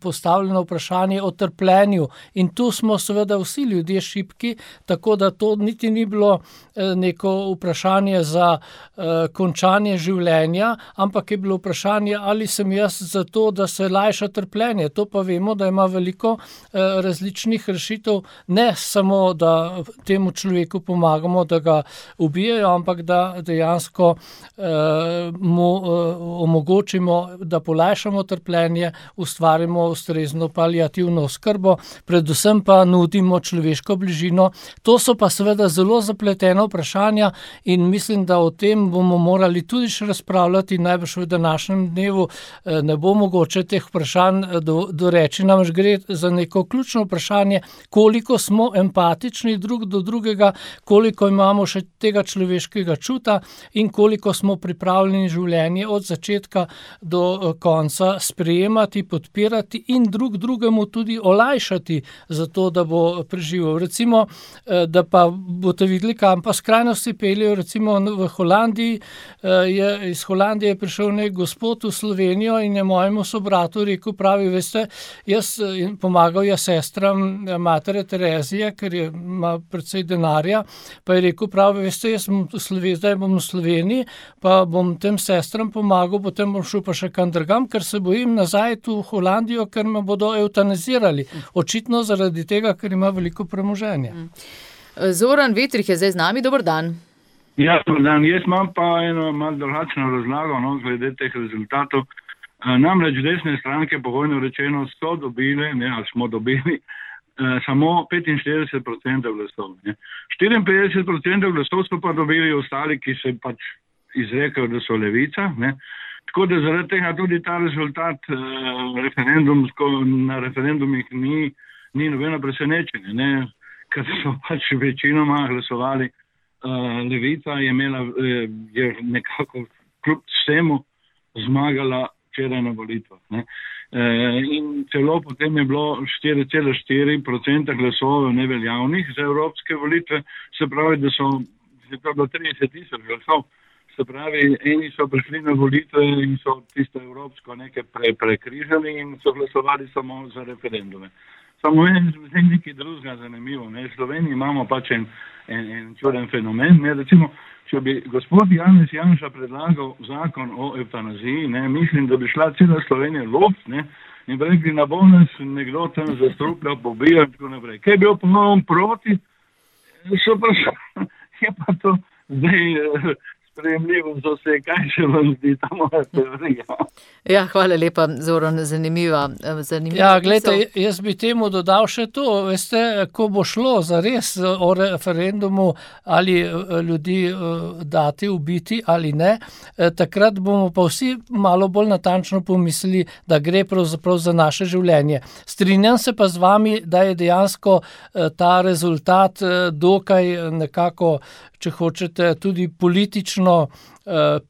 postavljeno vprašanje o trpljenju in tu smo seveda vsi ljudje šibki, tako da to niti ni bilo neko vprašanje za uh, končanje življenja, ampak je bilo vprašanje, ali sem jaz za to, da se lajša trpljenje. To pa vemo, da ima veliko eh, različnih rešitev, ne samo, da temu človeku pomagamo, da ga ubijajo, ampak da dejansko eh, mu eh, omogočimo, da polajšamo trpljenje, ustvarimo ustrezno paliativno oskrbo, predvsem pa nudimo človeško bližino. To so pa seveda zelo zapletena vprašanja in mislim, da o tem bomo morali tudi še razpravljati, najbrž v današnjem dnevu eh, ne bo mogoče teh vprašanj Do, doreči. Namreč gre za neko ključno vprašanje, koliko smo empatični drug do drugega, koliko imamo še tega človeškega čuta in koliko smo pripravljeni življenje od začetka do konca sprejemati, podpirati in drug drugemu tudi olajšati za to, da bo preživel. Recimo, da pa boste videli, kam pa skrajnosti peljejo, recimo v Holandiji, je, iz Holandije je prišel nek gospod v Slovenijo in je mojemu sobratu rekel, pravi, veste, jaz pomagal je sestram matere Terezije, ker je, ima precej denarja, pa je rekel, pravi, veste, jaz bom v Sloveniji, zdaj bom v Sloveniji, pa bom tem sestram pomagal, potem bom šel pa še kam drugam, ker se bojim nazaj tu v Holandijo, ker me bodo eutanazirali. Očitno zaradi tega, ker ima veliko premoženja. Zoran Vetrih je zdaj z nami, dober dan. Ja, dober dan. Jaz imam pa eno malo drugačno razlago, no, glede teh rezultatov. Namreč desne stranke, pogojno rečeno, so dobile, ne, ali smo dobili, eh, samo petinštirideset procentov glasov. Ne. štiriinpetdeset procentov glasov so pa dobili ostali, ki se pač izrekajo, da so levica. Ne. Tako da zaradi tega tudi ta rezultat eh, referendumsko, na referendumih ni, ni nobeno presenečenje, ne, ker so pač večinoma glasovali eh, levica, je imela, eh, je nekako kljub vsemu zmagala včeraj na volitvah. Ne. E, in celo potem je bilo štiri cela štiri procenta glasov neveljavnih za evropske volitve, se pravi, da so, je to bilo trideset tisoč glasov, se pravi, eni so prišli na volitve in so tisto evropsko nekaj pre, prekrižali in so glasovali samo za referendume. Samo je nekaj drugega zanimivo. Ne. V Sloveniji imamo pač en, en, en čuden fenomen, ne, recimo, če bi gospod Janez Janša predlagal zakon o evtanaziji, ne, mislim, da bi šla cela Slovenija lob, ne, in bi rekli, na bo nas nekdo tam zastrupljal, pobijal in tako naprej. Kaj je bil ponovno proti, so pa, je pa to zdaj sprejemljivo za vse, kaj se vam zdi ta moja teorija. Ja, hvala lepa, Zoran, zanimiva. zanimiva ja, gledajte, jaz bi temu dodal še to, veste, ko bo šlo za res o referendumu ali ljudi dati, ubiti ali ne, takrat bomo pa vsi malo bolj natančno pomislili, da gre pravzaprav za naše življenje. Strinjam se pa z vami, da je dejansko ta rezultat dokaj nekako, če hočete, tudi politično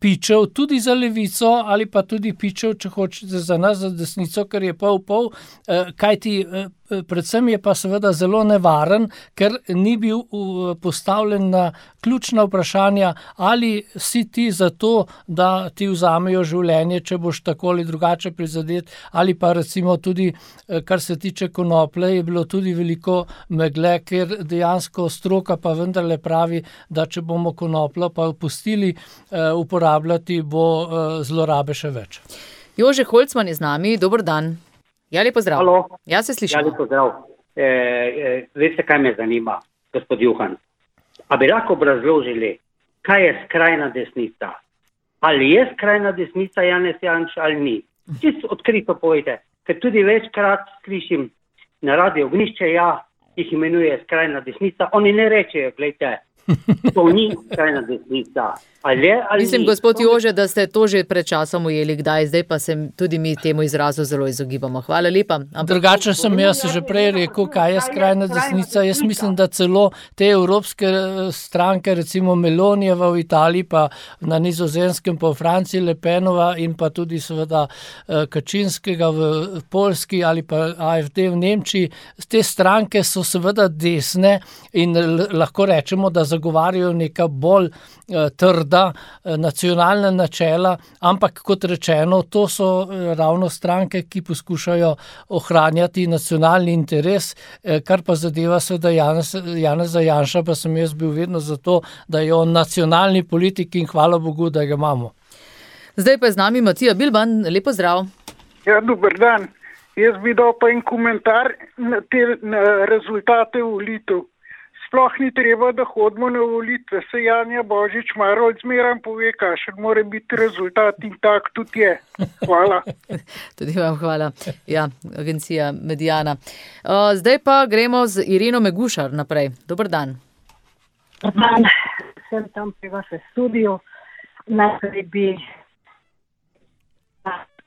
pičev tudi za levico ali pa tudi pičev, če hočete, za nas, za desnico, ker je pol pol, kajti predvsem je pa seveda zelo nevaren, ker ni bil postavljen na ključna vprašanja, ali si ti za to, da ti vzamejo življenje, če boš tako ali drugače prizadet, ali pa recimo tudi, kar se tiče konoplje, je bilo tudi veliko megle, ker dejansko stroka pa vendarle pravi, da če bomo konopljo pa pustili uporabljati, bo zlorabe še več. Jože Holcman je z nami, dober dan. Ja, lepo zdrav. Halo. Ja, se slišimo. Ja, lepo zdrav. E, e, veste, kaj me zanima, gospod Juhan? A bi lahko obrazložili, kaj je skrajna desnica? Ali je skrajna desnica Janez Janša ali ni? Čisto odkrito povejte, ker tudi večkrat slišim na radio Ognišče, ja, jih imenuje skrajna desnica, oni ne rečejo, gledajte, to ni skrajna desnica. Ali je, ali Mislim, ni? gospod Jože, da ste to že pred časom ujeli, kdaj, zdaj pa se tudi mi temu izrazu zelo izogibamo. Hvala lepa. Ampak... Drugače sem jaz že prej rekel, kaj je skrajna desnica. Jaz mislim, da celo te evropske stranke, recimo Melonijeva v Italiji, pa na Nizozemskem, pa v Franciji Le Penova in pa tudi seveda Kačinskega v Poljski ali pa A F D v Nemčiji. Te stranke so seveda desne in lahko rečemo, da zagovarjajo neka bolj trda nacionalna načela, ampak kot rečeno, to so ravno stranke, ki poskušajo ohranjati nacionalni interes, kar pa zadeva seveda Janeza Janša, pa sem jaz bil vedno za to, da je on nacionalni politik in hvala Bogu, da ga imamo. Zdaj pa je z nami Matija Bilban, lepo zdrav. Ja, dober dan. Jaz bi dal pa en komentar na te na rezultate volitev. Sploh ni treba, da hodimo na volitve. Se Janja Božič Marolt zmeram pove, kakšen mora biti rezultat in tak tudi je. Hvala. Tudi vam hvala. Ja, agencija Mediana. Zdaj pa gremo z Ireno Megušar naprej. Dobar dan. Dobar dan. Sem tam pri vas v studiju. Najprej bi...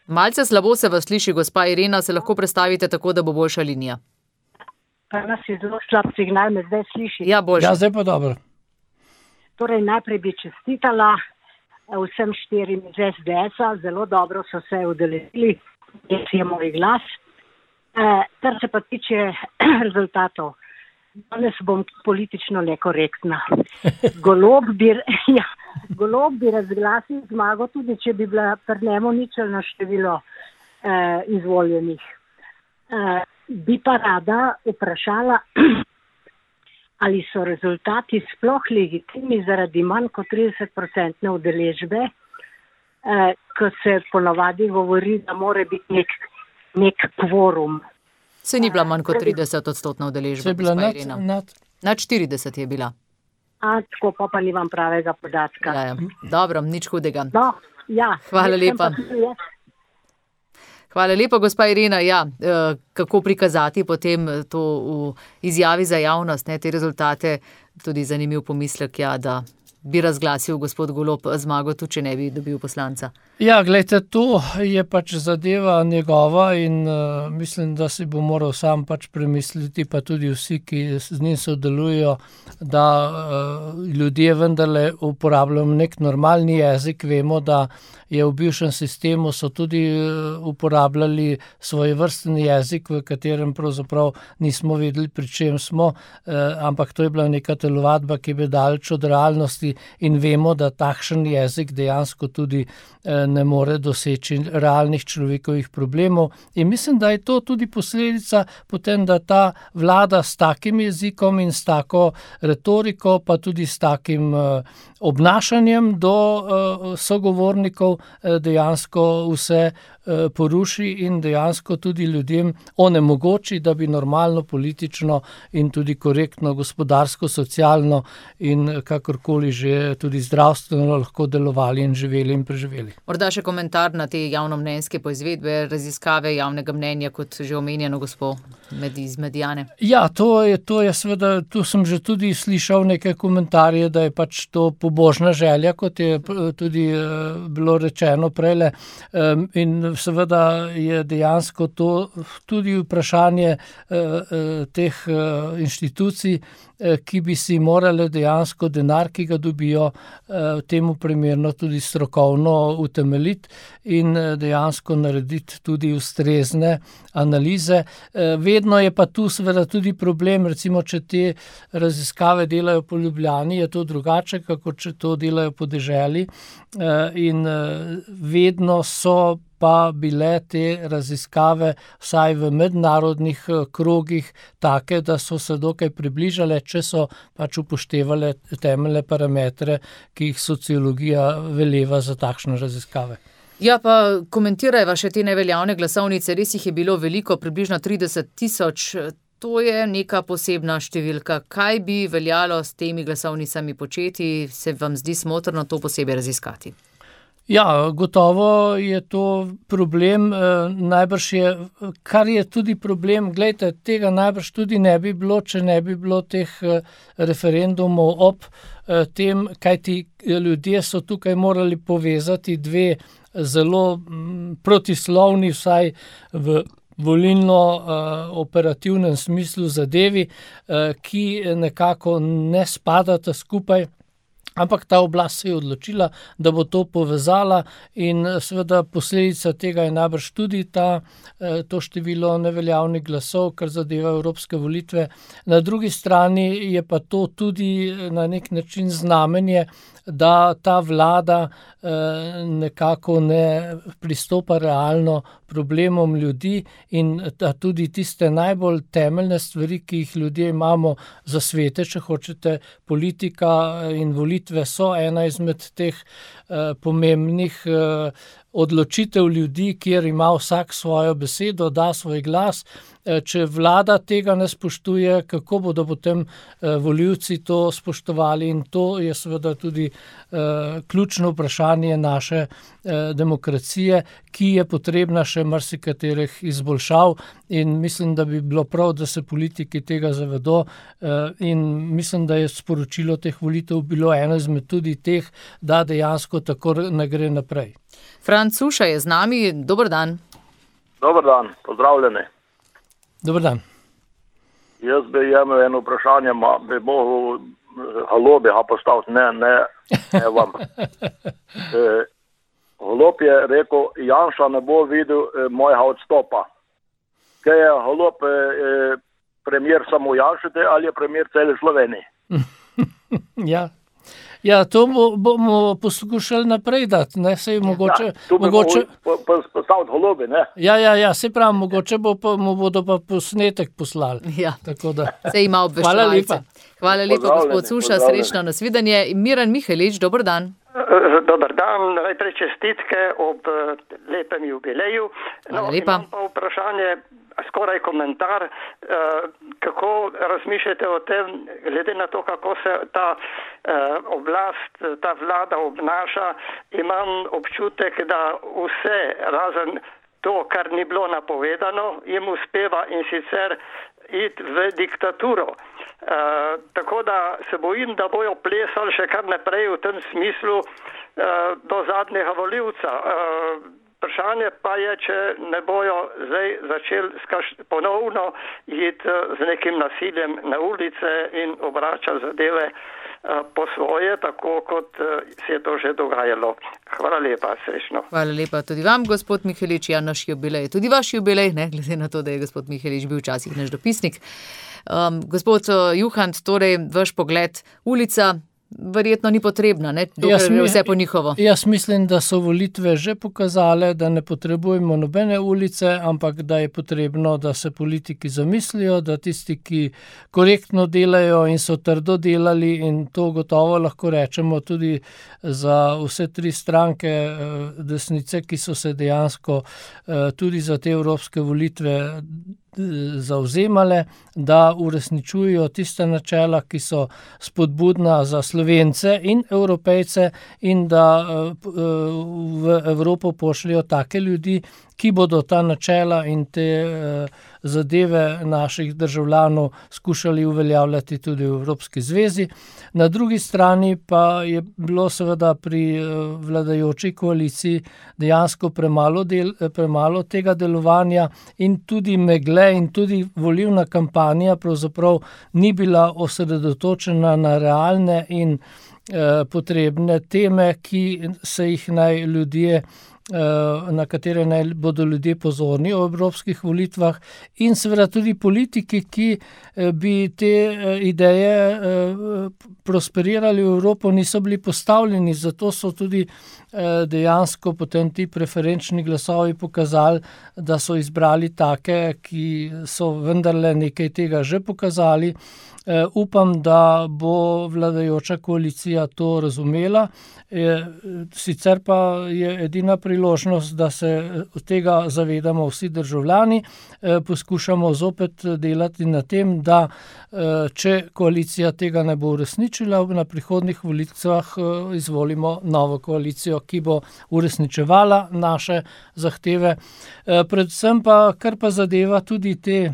Malce slabo se vas sliši, gospa Irena, se lahko predstavite tako, da bo boljša linija. Pa nas je zelo slab signal, me zdaj sliši. Ja, boljša. Ja, zdaj pa dobro. Torej, najprej bi čestitala vsem štirim iz S D S-a, zelo dobro so se udeležili, jaz je moj glas. E, kar se pa tiče rezultatov, danes bom politično nekorektna. Golob bi, ja, Golob bi razglasil zmago, tudi če bi bila pri njemu ničelno število eh, izvoljenih. Eh, bi pa rada vprašala, ali so rezultati sploh legitimni zaradi manj kot trideset procentne udeležbe, eh, ko se ponavadi govori, da mora biti nek, nek kvorum. Se ni bila manj kot trideset odstotna udeležba. Se je bila nad, nad... nad štirideset je bila. A, tako pa pa nimam pravega podatka. Ja, ja. Dobro, nič hudega. No, ja. Hvala lepa. Hvala lepa, gospa Irena. Ja, kako prikazati potem to v izjavi za javnost, ne, te rezultate, tudi zanimiv pomislek, ja, da bi razglasil gospod Golob zmago, tudi če ne bi dobil poslanca. Ja, gledajte, to je pač zadeva njegova in uh, mislim, da si bo moral sam pač premisliti, pa tudi vsi, ki z njim sodelujo, da uh, ljudje vendarle uporabljajo nek normalni jezik. Vemo, da je v bivšem sistemu so tudi uh, uporabljali svoj vrsten jezik, v katerem pravzaprav nismo vedeli, pri čem smo, uh, ampak to je bila neka telovadba, ki je daleč od realnosti in vemo, da takšen jezik dejansko tudi uh, ne more doseči realnih človekovih problemov. In mislim, da je to tudi posledica potem, da ta vlada s takim jezikom in s tako retoriko, pa tudi s takim uh, obnašanjem do uh, sogovornikov uh, dejansko vse uh, poruši in dejansko tudi ljudem onemogoči, da bi normalno, politično in tudi korektno, gospodarsko, socialno in kakorkoli že tudi zdravstveno lahko delovali in živeli in preživeli. Morda še komentar na te javnomnenjske poizvedbe, raziskave javnega mnenja, kot že omenjeno gospod med, iz Mediane. Ja, to je, to je seveda, tu sem že tudi slišal neke komentarje, da je pač to pobožna želja, kot je tudi uh, bilo rečeno prejle. Um, in seveda je dejansko to tudi vprašanje teh inštitucij, ki bi si morale dejansko denar, ki ga dobijo, temu primerno tudi strokovno utemeljiti in dejansko narediti tudi ustrezne analize. Vedno je pa tu seveda tudi problem, recimo, če te raziskave delajo po Ljubljani, je to drugače, kako če to delajo po deželi, in vedno so pa bile te raziskave vsaj v mednarodnih krogih take, da so se dokaj približale, če so pač upoštevale temeljne parametre, ki jih sociologija veleva za takšne raziskave. Ja, pa komentirajva še te neveljavne glasovnice, res jih je bilo veliko, približno trideset tisoč, to je neka posebna številka. Kaj bi veljalo s temi glasovnicami početi, se vam zdi smotrno to posebej raziskati? Ja, gotovo je to problem, najbrž je, kar je tudi problem, glejte, tega najbrž tudi ne bi bilo, če ne bi bilo teh referendumov ob tem, kajti ljudje so tukaj morali povezati dve zelo protislovni, vsaj v volilno operativnem smislu zadevi, ki nekako ne spadata skupaj. Ampak ta oblast se je odločila, da bo to povezala in seveda posledica tega je najbrž tudi ta, to število neveljavnih glasov, kar zadeva evropske volitve. Na drugi strani je pa to tudi na nek način znamenje, da ta vlada nekako ne pristopa realno problemom ljudi in da tudi tiste najbolj temeljne stvari, ki jih ljudje imamo za svete, če hočete, politika in volitve so ena izmed teh pomembnih odločitev ljudi, kjer ima vsak svojo besedo, da svoj glas. Če vlada tega ne spoštuje, kako bodo potem volivci to spoštovali, in to je seveda tudi ključno vprašanje naše demokracije, ki je potrebna še marsikaterih izboljšav, in mislim, da bi bilo prav, da se politiki tega zavedo, in mislim, da je sporočilo teh volitev bilo eno izmed tudi teh, da dejansko tako ne gre naprej. Franc Suša je z nami, dober dan. Dober dan, pozdravljeni. Dober dan. Jaz bi imel eno vprašanje, ma bi mogel Golobi ga postaviti, ne, ne, ne vam. E, Golob je rekel, Janša ne bo videl e, mojega odstopa. Kaj je Golob e, premier samo Janšite ali je premier cele Slovenije? Ja. Ja, to bomo poskušali naprej dati, ne, sej mogoče... Ja, tu bi mogoče... postaviti Golobi, ne? Ja, ja, ja, se pravi, mogoče bo pa, mu bodo pa posnetek poslali. Ja, tako da. Se ima obveščevalce. Hvala lepa. Hvala lepa, gospod Suša, srečno nasvidenje. Miran Mihelič, dober dan. Dober dan, najprej čestitke ob lepem jubileju. Hvala lepa. Imam pa vprašanje, skoraj komentar, kako razmišljate o tem, glede na to, kako se ta oblast, ta vlada obnaša, imam občutek, da vse razen to, kar ni bilo napovedano, jim uspeva, in sicer iti v diktaturo. Uh, tako da se bojim, da bojo plesali še kar naprej v tem smislu uh, do zadnjega volivca. Uh, vprašanje pa je, če ne bojo zdaj začeli skaš, ponovno iti uh, z nekim nasiljem na ulice in obračati zadeve uh, po svoje, tako kot uh, se je to že dogajalo. Hvala lepa, srečno. Hvala lepa tudi vam, gospod Mihelič. Ja, naš jubilej, tudi vaš jubilej, ne, glede na to, da je gospod Mihelič bil včasih naš dopisnik. Um, gospod Juhant, torej vaš pogled, ulica verjetno ni potrebna, ne, dokler je vse po njihovo. Jaz mislim, da so volitve že pokazale, da ne potrebujemo nobene ulice, ampak da je potrebno, da se politiki zamislijo, da tisti, ki korektno delajo in so trdo delali, in to gotovo lahko rečemo tudi za vse tri stranke desnice, ki so se dejansko tudi za te evropske volitve zavzemale, da uresničujejo tiste načela, ki so spodbudna za Slovence in Evropejce, in da v Evropo pošljajo take ljudi, ki bodo ta načela in te zadeve naših državljanov skušali uveljavljati tudi v Evropski zvezi. Na drugi strani pa je bilo seveda pri vladajoči koaliciji dejansko premalo, del, premalo tega delovanja in tudi megle in tudi volilna kampanja pravzaprav ni bila osredotočena na realne in eh, potrebne teme, ki se jih naj ljudje na katere naj bodo ljudje pozorni o evropskih volitvah in seveda tudi politiki, ki bi te ideje prosperirali v Evropo, niso bili postavljeni, zato so tudi dejansko potem ti preferenčni glasovi pokazali, da so izbrali take, ki so vendarle nekaj tega že pokazali. Uh, upam, da bo vladajoča koalicija to razumela. E, sicer pa je edina priložnost, da se tega zavedamo vsi državljani, e, poskušamo zopet delati na tem, da e, če koalicija tega ne bo uresničila, na prihodnjih volitvah e, izvolimo novo koalicijo, ki bo uresničevala naše zahteve. E, predvsem pa, kar pa zadeva tudi te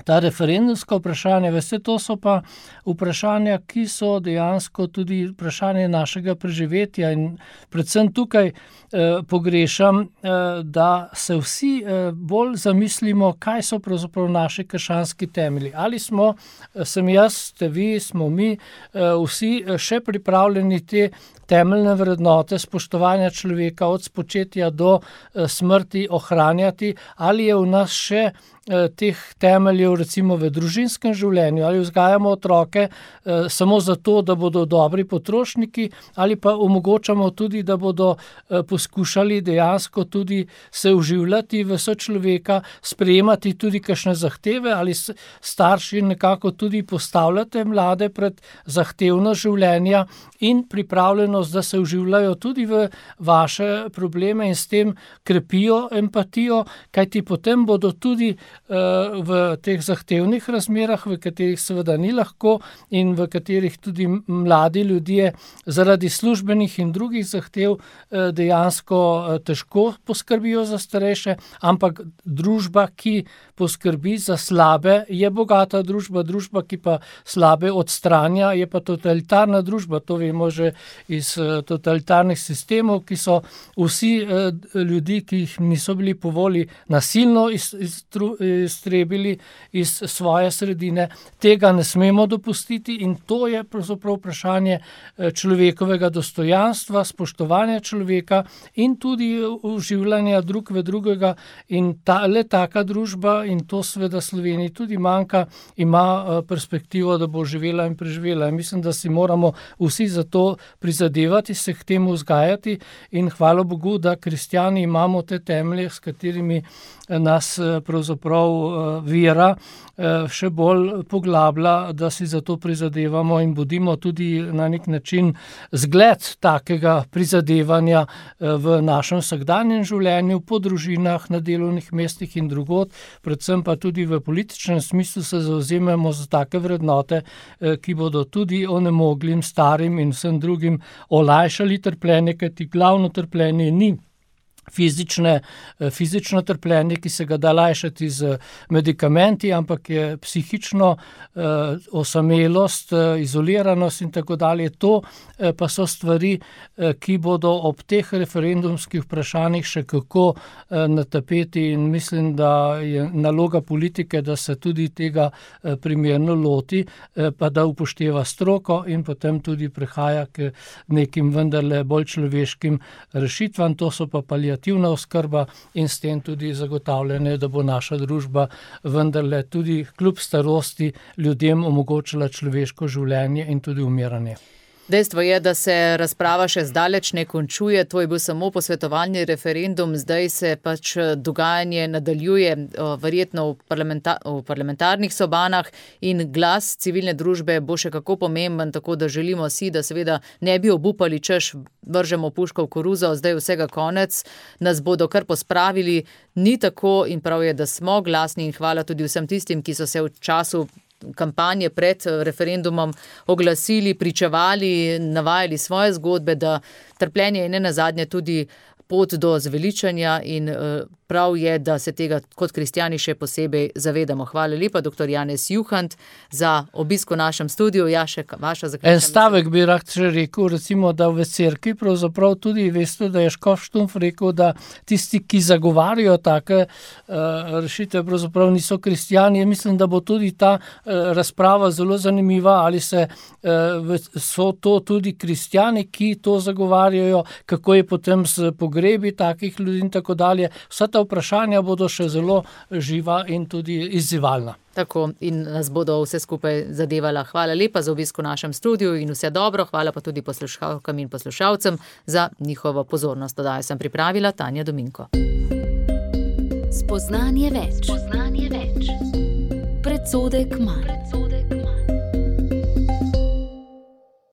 Ta referendumska vprašanja, veste, to so pa vprašanja, ki so dejansko tudi vprašanje našega preživetja in predvsem tukaj eh, pogrešam, eh, da se vsi eh, bolj zamislimo, kaj so pravzaprav naši krščanski temelji. Ali smo, sem jaz, ste vi, smo mi, eh, vsi še pripravljeni te temeljne vrednote spoštovanja človeka od spočetja do eh, smrti ohranjati, ali je v nas še teh temeljev recimo v družinskem življenju, ali vzgajamo otroke eh, samo zato, da bodo dobri potrošniki, ali pa omogočamo tudi, da bodo eh, poskušali dejansko tudi se vživljati v sočloveka, sprejemati tudi kakšne zahteve, ali starši nekako tudi postavljate mlade pred zahtevno življenja in pripravljenost, da se vživljajo tudi v vaše probleme in s tem krepijo empatijo, kajti potem bodo tudi v teh zahtevnih razmerah, v katerih seveda ni lahko in v katerih tudi mladi ljudje zaradi službenih in drugih zahtev dejansko težko poskrbijo za starejše, ampak družba, ki poskrbi za slabe, je bogata družba, družba, ki pa slabe odstranja, je pa totalitarna družba. To vemo že iz totalitarnih sistemov, ki so vsi ljudi, ki jih niso bili po volji nasilno iz, iz, iztrebili iz svoje sredine. Tega ne smemo dopustiti in to je pravzaprav vprašanje človekovega dostojanstva, spoštovanja človeka in tudi uživljanja drug v drugega in ta, le taka družba, in to seveda Sloveniji tudi manjka, ima perspektivo, da bo živela in preživela. In mislim, da si moramo vsi za to prizadevati, se k temu vzgajati in hvala Bogu, da kristjani imamo te temelje, s katerimi nas pravzaprav vera še bolj poglablja, da si za to prizadevamo in bodimo tudi na nek način zgled takega prizadevanja v našem vsakdanjem življenju, po družinah, na delovnih mestih in drugod, predvsem pa tudi v političnem smislu se zavzemamo za take vrednote, ki bodo tudi onemoglim, starim in vsem drugim olajšali trpljenje, kajti glavno trpljenje ni Fizične, fizično trpljenje, ki se ga da lajšati z medikamenti, ampak je psihično eh, osamelost, eh, izoliranost in tako dalje. To eh, pa so stvari, eh, ki bodo ob teh referendumskih vprašanjih še kako eh, na tapeti in mislim, da je naloga politike, da se tudi tega eh, primerno loti, eh, pa da upošteva stroko in potem tudi prehaja k nekim vendarle bolj človeškim rešitvam. To so pa paliativne oskrba in s tem tudi zagotavljanje, da bo naša družba vendarle tudi kljub starosti ljudem omogočila človeško življenje in tudi umiranje. Dejstvo je, da se razprava še zdaleč ne končuje, to je bil samo posvetovalni referendum, zdaj se pač dogajanje nadaljuje verjetno v, parlamenta, v parlamentarnih sobanah in glas civilne družbe bo še kako pomemben, tako da želimo si, da seveda ne bi obupali, češ vržemo puško v koruzo, zdaj vsega konec, nas bodo kar pospravili, ni tako in prav je, da smo glasni in hvala tudi vsem tistim, ki so se v času kampanje pred referendumom oglasili, pričevali, navajali svoje zgodbe, da trpljenje je ne nazadnje tudi pot do zveličanja in prav je, da se tega kot kristjani še posebej zavedamo. Hvala lepa, doktor Janez Juhant, za obisk v našem studiu. Ja, še vaša zaključna. En stavek bi rad še rekel, recimo, da v cerkvi pravzaprav tudi veste, da je Škof Štumpf rekel, da tisti, ki zagovarjajo take uh, rešitve, pravzaprav niso kristjani. Mislim, da bo tudi ta uh, razprava zelo zanimiva, ali se uh, so to tudi kristjani, ki to zagovarjajo, kako je potem s pogrebi takih ljudi in tako dalje. Vsa ta vprašanja bodo še zelo živa in tudi izzivalna. Tako, in nas bodo vse skupaj zadevala. Hvala lepa za obisk v našem studiu in vse dobro. Hvala pa tudi poslušalkam in poslušalcem za njihovo pozornost. Oddajo sem pripravila Tanja Dominko. Spoznanje več. Spoznanje več. Predsodek manj.